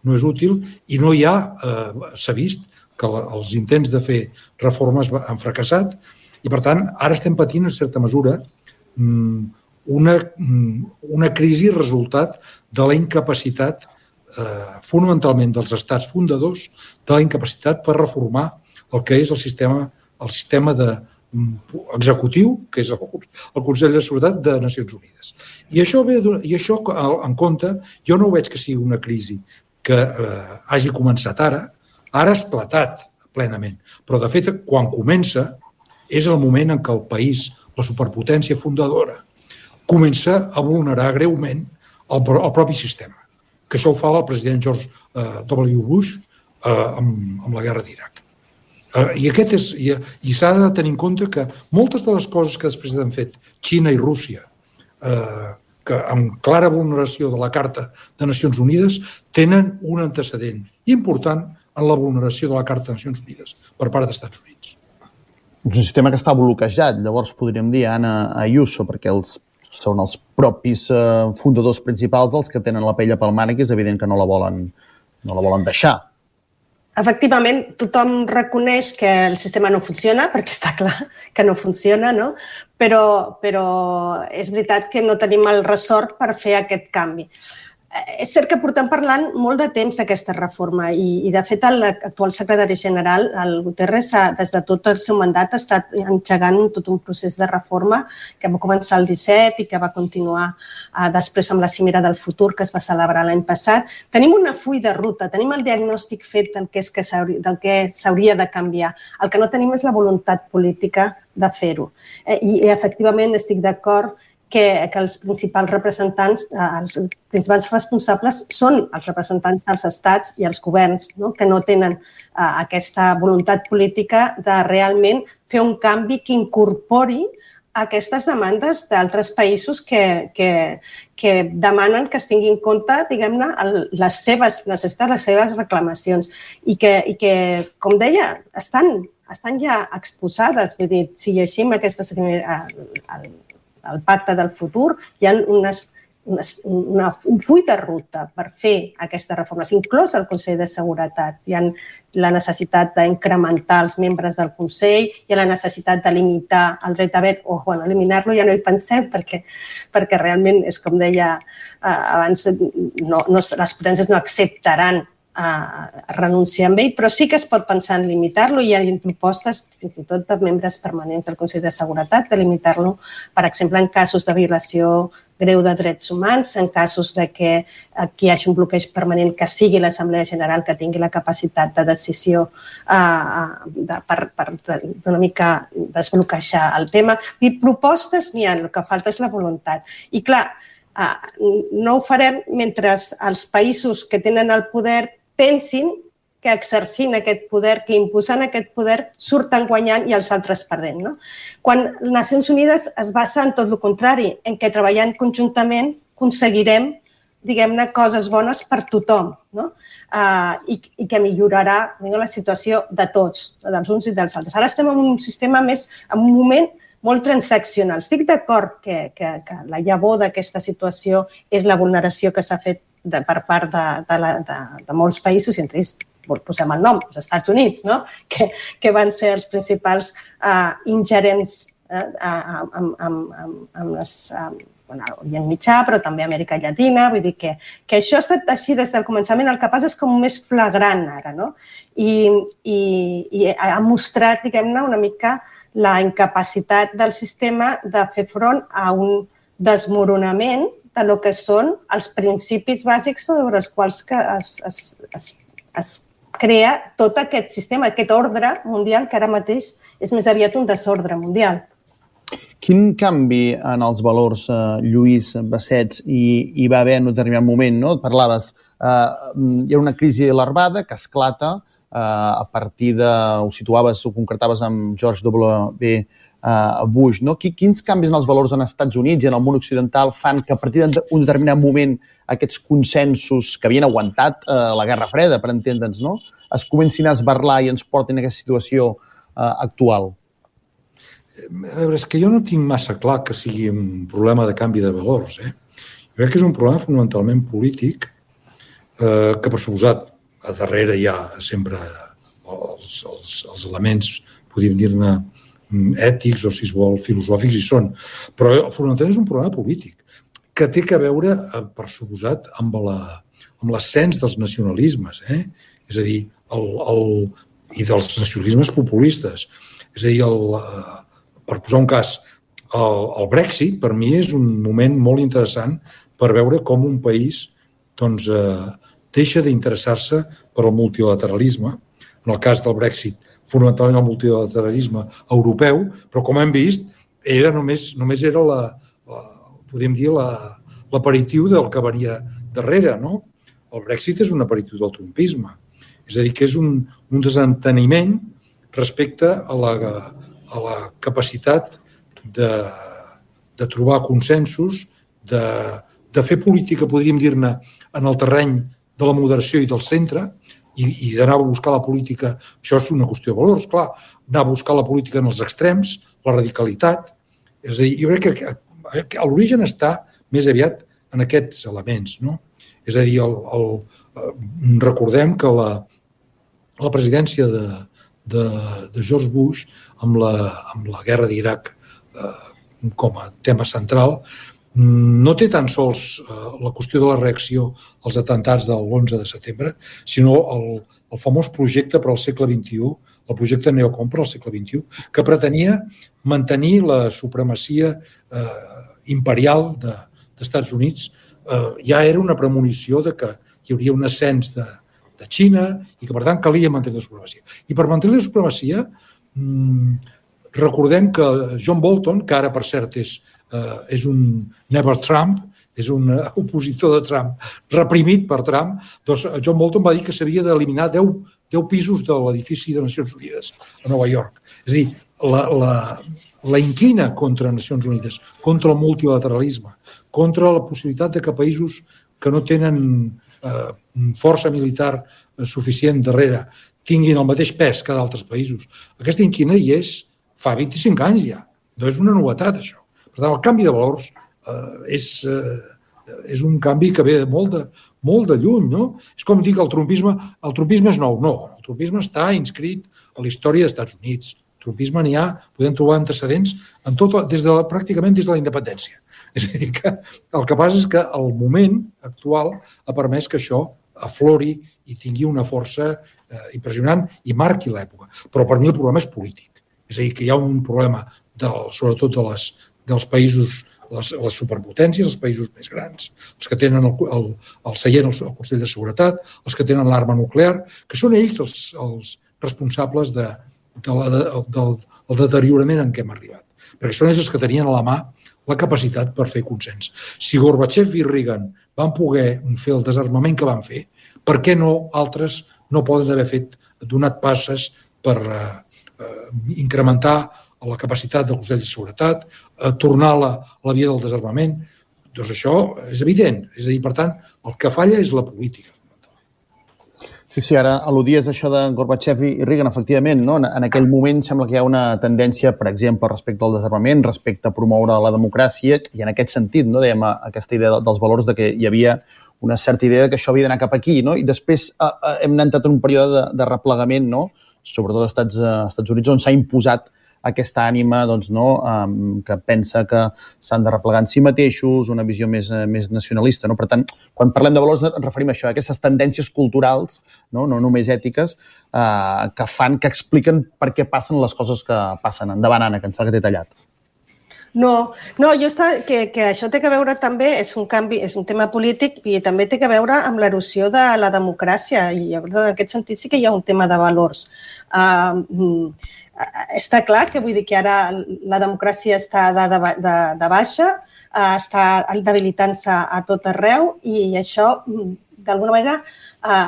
no és útil i no hi ha, eh, s'ha vist que la, els intents de fer reformes han fracassat i, per tant, ara estem patint, en certa mesura, una, una crisi resultat de la incapacitat, eh, fonamentalment dels estats fundadors, de la incapacitat per reformar el que és el sistema, el sistema de, executiu, que és el, el Consell de Seguretat de Nacions Unides. I això, ve, i això en compte, jo no ho veig que sigui una crisi que eh, hagi començat ara, ara ha esclatat plenament. Però, de fet, quan comença, és el moment en què el país, la superpotència fundadora, comença a vulnerar greument el, el propi sistema. Que això ho fa el president George W. Bush eh, amb, amb la guerra d'Iraq. I aquest és, i, i s'ha de tenir en compte que moltes de les coses que després han fet Xina i Rússia, eh, que amb clara vulneració de la Carta de Nacions Unides, tenen un antecedent important en la vulneració de la Carta de Nacions Unides per part dels Estats Units. És un sistema que està bloquejat, llavors podríem dir, Anna Ayuso, perquè els, són els propis eh, fundadors principals els que tenen la pell pel mànec i és evident que no la volen, no la volen deixar. Efectivament, tothom reconeix que el sistema no funciona, perquè està clar que no funciona, no? Però, però és veritat que no tenim el ressort per fer aquest canvi. És cert que portem parlant molt de temps d'aquesta reforma i, i de fet, l'actual secretari general, el Guterres, des de tot el seu mandat ha estat engegant tot un procés de reforma que va començar el disset i que va continuar eh, després amb la cimera del futur que es va celebrar l'any passat. Tenim una full de ruta, tenim el diagnòstic fet del que, és que del que s'hauria de canviar. El que no tenim és la voluntat política de fer-ho. Eh, I, efectivament, estic d'acord que, que els principals representants, els principals responsables són els representants dels estats i els governs, no? Que no tenen uh, aquesta voluntat política de realment fer un canvi que incorpori aquestes demandes d'altres països que, que, que demanen que es tingui en compte, diguem-ne, les seves necessitats, les seves reclamacions i que, i que com deia, estan, estan ja exposades. Vull dir, si llegim aquestes... El, el pacte del futur, hi ha unes, unes, una, un full de ruta per fer aquestes reformes, inclòs el Consell de Seguretat. Hi ha la necessitat d'incrementar els membres del Consell, hi ha la necessitat de limitar el dret a vet, o bueno, eliminar-lo ja no hi pensem, perquè, perquè realment és com deia eh, abans, no, no, les potències no acceptaran a renunciar amb ell, però sí que es pot pensar en limitar-lo. Hi ha propostes, fins i tot per membres permanents del Consell de Seguretat, de limitar-lo, per exemple, en casos de violació greu de drets humans, en casos de que aquí hi hagi un bloqueig permanent, que sigui l'Assemblea General que tingui la capacitat de decisió eh, de, per, per una mica desbloquejar el tema. I propostes n'hi ha, el que falta és la voluntat. I clar, eh, no ho farem mentre els països que tenen el poder pensin que exercint aquest poder, que imposant aquest poder, surten guanyant i els altres perdent. No? Quan les Nacions Unides es basa en tot el contrari, en què treballant conjuntament aconseguirem, diguem-ne, coses bones per tothom, no? Uh, i, i que millorarà diguem, la situació de tots, dels uns i dels altres. Ara estem en un sistema més, en un moment molt transaccional. Estic d'acord que, que, que la llavor d'aquesta situació és la vulneració que s'ha fet de, per part de, de, la, de, de molts països, i entre ells posem el nom, els Estats Units, no? que, que van ser els principals uh, ingerents uh, amb, amb, amb, amb les... Uh, bueno, Orient Mitjà, però també Amèrica Llatina, vull dir que, que això ha estat així des del començament, el que passa és com més flagrant ara, no? I, i, i ha mostrat, diguem-ne, una mica la incapacitat del sistema de fer front a un desmoronament de lo que són els principis bàsics sobre els quals que es, es, es, es crea tot aquest sistema, aquest ordre mundial que ara mateix és més aviat un desordre mundial. Quin canvi en els valors, eh, Lluís Bassets, hi, hi va haver en un determinat moment, no? Et parlaves, eh, hi ha una crisi larvada que esclata eh, a partir de, ho situaves, ho concretaves amb George W. Bush, no? Quins canvis en els valors en els Estats Units i en el món occidental fan que a partir d'un determinat moment aquests consensos que havien aguantat eh, la Guerra Freda, per entendre'ns, no? Es comencin a esbarlar i ens portin a aquesta situació eh, actual? A veure, és que jo no tinc massa clar que sigui un problema de canvi de valors. Eh? Jo crec que és un problema fonamentalment polític eh, que, per suposat, a darrere hi ha sempre els, els, els elements, podríem dir-ne, ètics o, si es vol, filosòfics, i són. Però fonamentalment és un problema polític que té a veure, per suposat, amb l'ascens dels nacionalismes, eh? És a dir, el, el, i dels nacionalismes populistes. És a dir, el... Per posar un cas, el, el Brexit per mi és un moment molt interessant per veure com un país doncs, eh, deixa d'interessar-se per al multilateralisme. En el cas del Brexit, fonamentalment el multilateralisme europeu, però com hem vist, era només, només era la, la, podem dir, l'aperitiu del que venia darrere. No? El Brexit és un aperitiu del trumpisme. És a dir, que és un, un desenteniment respecte a la, a la capacitat de, de trobar consensos, de, de fer política, podríem dir-ne, en el terreny de la moderació i del centre, i, i d'anar a buscar la política, això és una qüestió de valors, clar, anar a buscar la política en els extrems, la radicalitat. És a dir, jo crec que l'origen està més aviat en aquests elements, no? És a dir, el, el, recordem que la, la presidència de, de, de George Bush amb la, amb la guerra d'Iraq eh, com a tema central no té tan sols eh, la qüestió de la reacció als atemptats de l'onze de setembre, sinó el, el famós projecte per al segle vint-i-u, el projecte Neocon per al segle vint-i-u, que pretenia mantenir la supremacia eh, imperial de, dels Estats Units. Eh, ja era una premonició de que hi hauria un ascens de, de Xina i que, per tant, calia mantenir la supremacia. I per mantenir la supremacia, mmm, recordem que John Bolton, que ara, per cert, és Uh, és un never Trump, és un uh, opositor de Trump, reprimit per Trump, doncs John Bolton va dir que s'havia d'eliminar deu pisos de l'edifici de Nacions Unides a Nova York. És a dir, la, la, la inclina contra Nacions Unides, contra el multilateralisme, contra la possibilitat de que països que no tenen uh, força militar suficient darrere tinguin el mateix pes que d'altres països. Aquesta inquina hi és fa vint-i-cinc anys ja. No és una novetat, això. Per tant, el canvi de valors eh, és, eh, és un canvi que ve de molt de, molt de lluny, no? És com dir que el trumpisme, el trumpisme és nou. No, el trumpisme està inscrit a la història dels Estats Units. El trumpisme n'hi ha, podem trobar antecedents en tot, des de, pràcticament des de la independència. És a dir, que el que passa és que el moment actual ha permès que això aflori i tingui una força eh, impressionant i marqui l'època. Però per mi el problema és polític. És a dir, que hi ha un problema, del, sobretot de les dels països, les, les superpotències, els països més grans, els que tenen el, el, el seient al el Consell de Seguretat, els que tenen l'arma nuclear, que són ells els, els responsables de, de la, de, del, del deteriorament en què hem arribat. Perquè són ells els que tenien a la mà la capacitat per fer consens. Si Gorbachev i Reagan van poder fer el desarmament que van fer, per què no altres no poden haver fet, donat passes per eh, eh, incrementar a la capacitat del Consell de Seguretat, a tornar a la, a la via del desarmament? Doncs això és evident. És a dir, per tant, el que falla és la política. Sí, sí, ara al·ludies això de Gorbachev i Reagan, efectivament, no? En aquell moment sembla que hi ha una tendència, per exemple, respecte al desarmament, respecte a promoure la democràcia, i en aquest sentit, no, dèiem, aquesta idea dels valors de que hi havia una certa idea que això havia d'anar cap aquí, no? I després eh, hem entrat en un període de, de replegament, no? Sobretot als Estats, eh, Estats Units, on s'ha imposat aquesta ànima doncs, no, um, que pensa que s'han de replegar en si mateixos, una visió més, més nacionalista. No? Per tant, quan parlem de valors ens referim a això, a aquestes tendències culturals, no, no només ètiques, uh, que fan, que expliquen per què passen les coses que passen. Endavant, Anna, que em sembla que t'he tallat. No, no, jo està, que, que això té que veure també, és un canvi, és un tema polític i també té que veure amb l'erosió de la democràcia i en aquest sentit sí que hi ha un tema de valors. Uh, Està clar que vull dir que ara la democràcia està de, de, de, de baixa, està debilitant-se a tot arreu i això, d'alguna manera,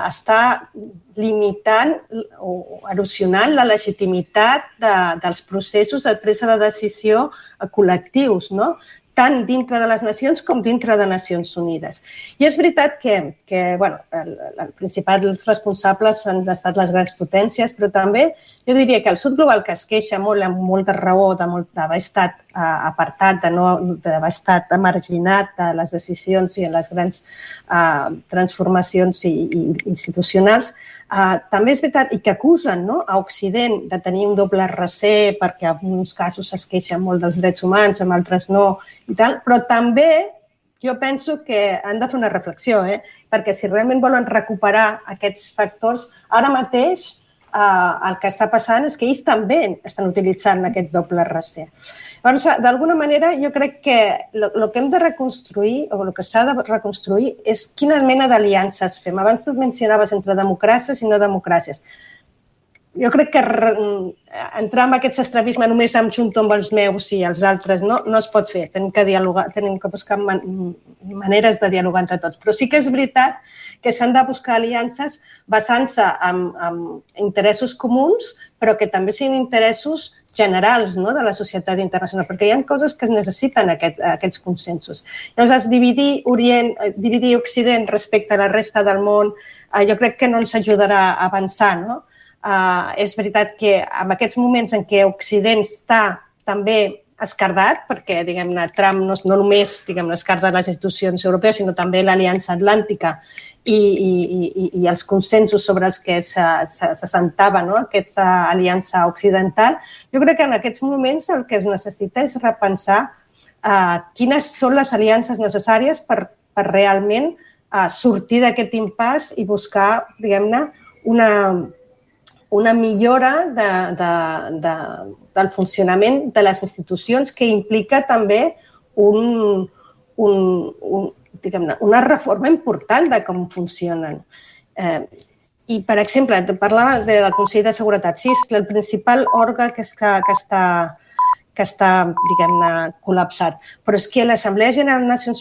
està limitant o erosionant la legitimitat de, dels processos de presa de decisió col·lectius, no? Tant dintre de les nacions com dintre de Nacions Unides. I és veritat que, que bueno, els principals responsables han estat les grans potències, però també jo diria que el sud global, que es queixa molt, amb molta raó, d'haver estat apartat, d'haver estat marginat de les decisions i en les grans uh, transformacions i, i institucionals, uh, també és veritat, i que acusen, no, a Occident de tenir un doble raser perquè en uns casos es queixen molt dels drets humans, en altres no, i tal, però també jo penso que han de fer una reflexió, eh? Perquè si realment volen recuperar aquests factors, ara mateix Uh, el que està passant és que ells també estan utilitzant aquest doble raser. Llavors, d'alguna manera, jo crec que el que hem de reconstruir, o el que s'ha de reconstruir, és quina mena d'aliances fem. Abans tu mencionaves entre democràcies i no democràcies. jo crec que entrar en aquest estrabisme només em junto amb els meus i els altres no, no es pot fer. Tenim que dialogar, tenim que buscar man maneres de dialogar entre tots. Però sí que és veritat que s'han de buscar aliances basant-se en, en interessos comuns, però que també siguin interessos generals no, de la societat internacional, perquè hi ha coses que es necessiten aquest, aquests consensos. Llavors, dividir, Orient, dividir Occident respecte a la resta del món, eh, jo crec que no ens ajudarà a avançar, no? Uh, és veritat que en aquests moments en què Occident està també escardat, perquè diguem-ne Trump no, no només diguem-ne escarda les institucions europees, sinó també l'Aliança Atlàntica i, i, i, i els consensos sobre els que s'assentava no? aquesta aliança occidental, jo crec que en aquests moments el que es necessita és repensar uh, quines són les aliances necessàries per, per realment uh, sortir d'aquest impàs i buscar, diguem-ne, una una millora de, de, de, del funcionament de les institucions que implica també un, un, un, diguem-ne, una reforma important de com funcionen. Eh, I, per exemple, parlava de, del Consell de Seguretat. Sí, és el principal òrgan que, és que, que està, que està diguem-ne, col·lapsat. Però és que l'Assemblea General de Nacions Unides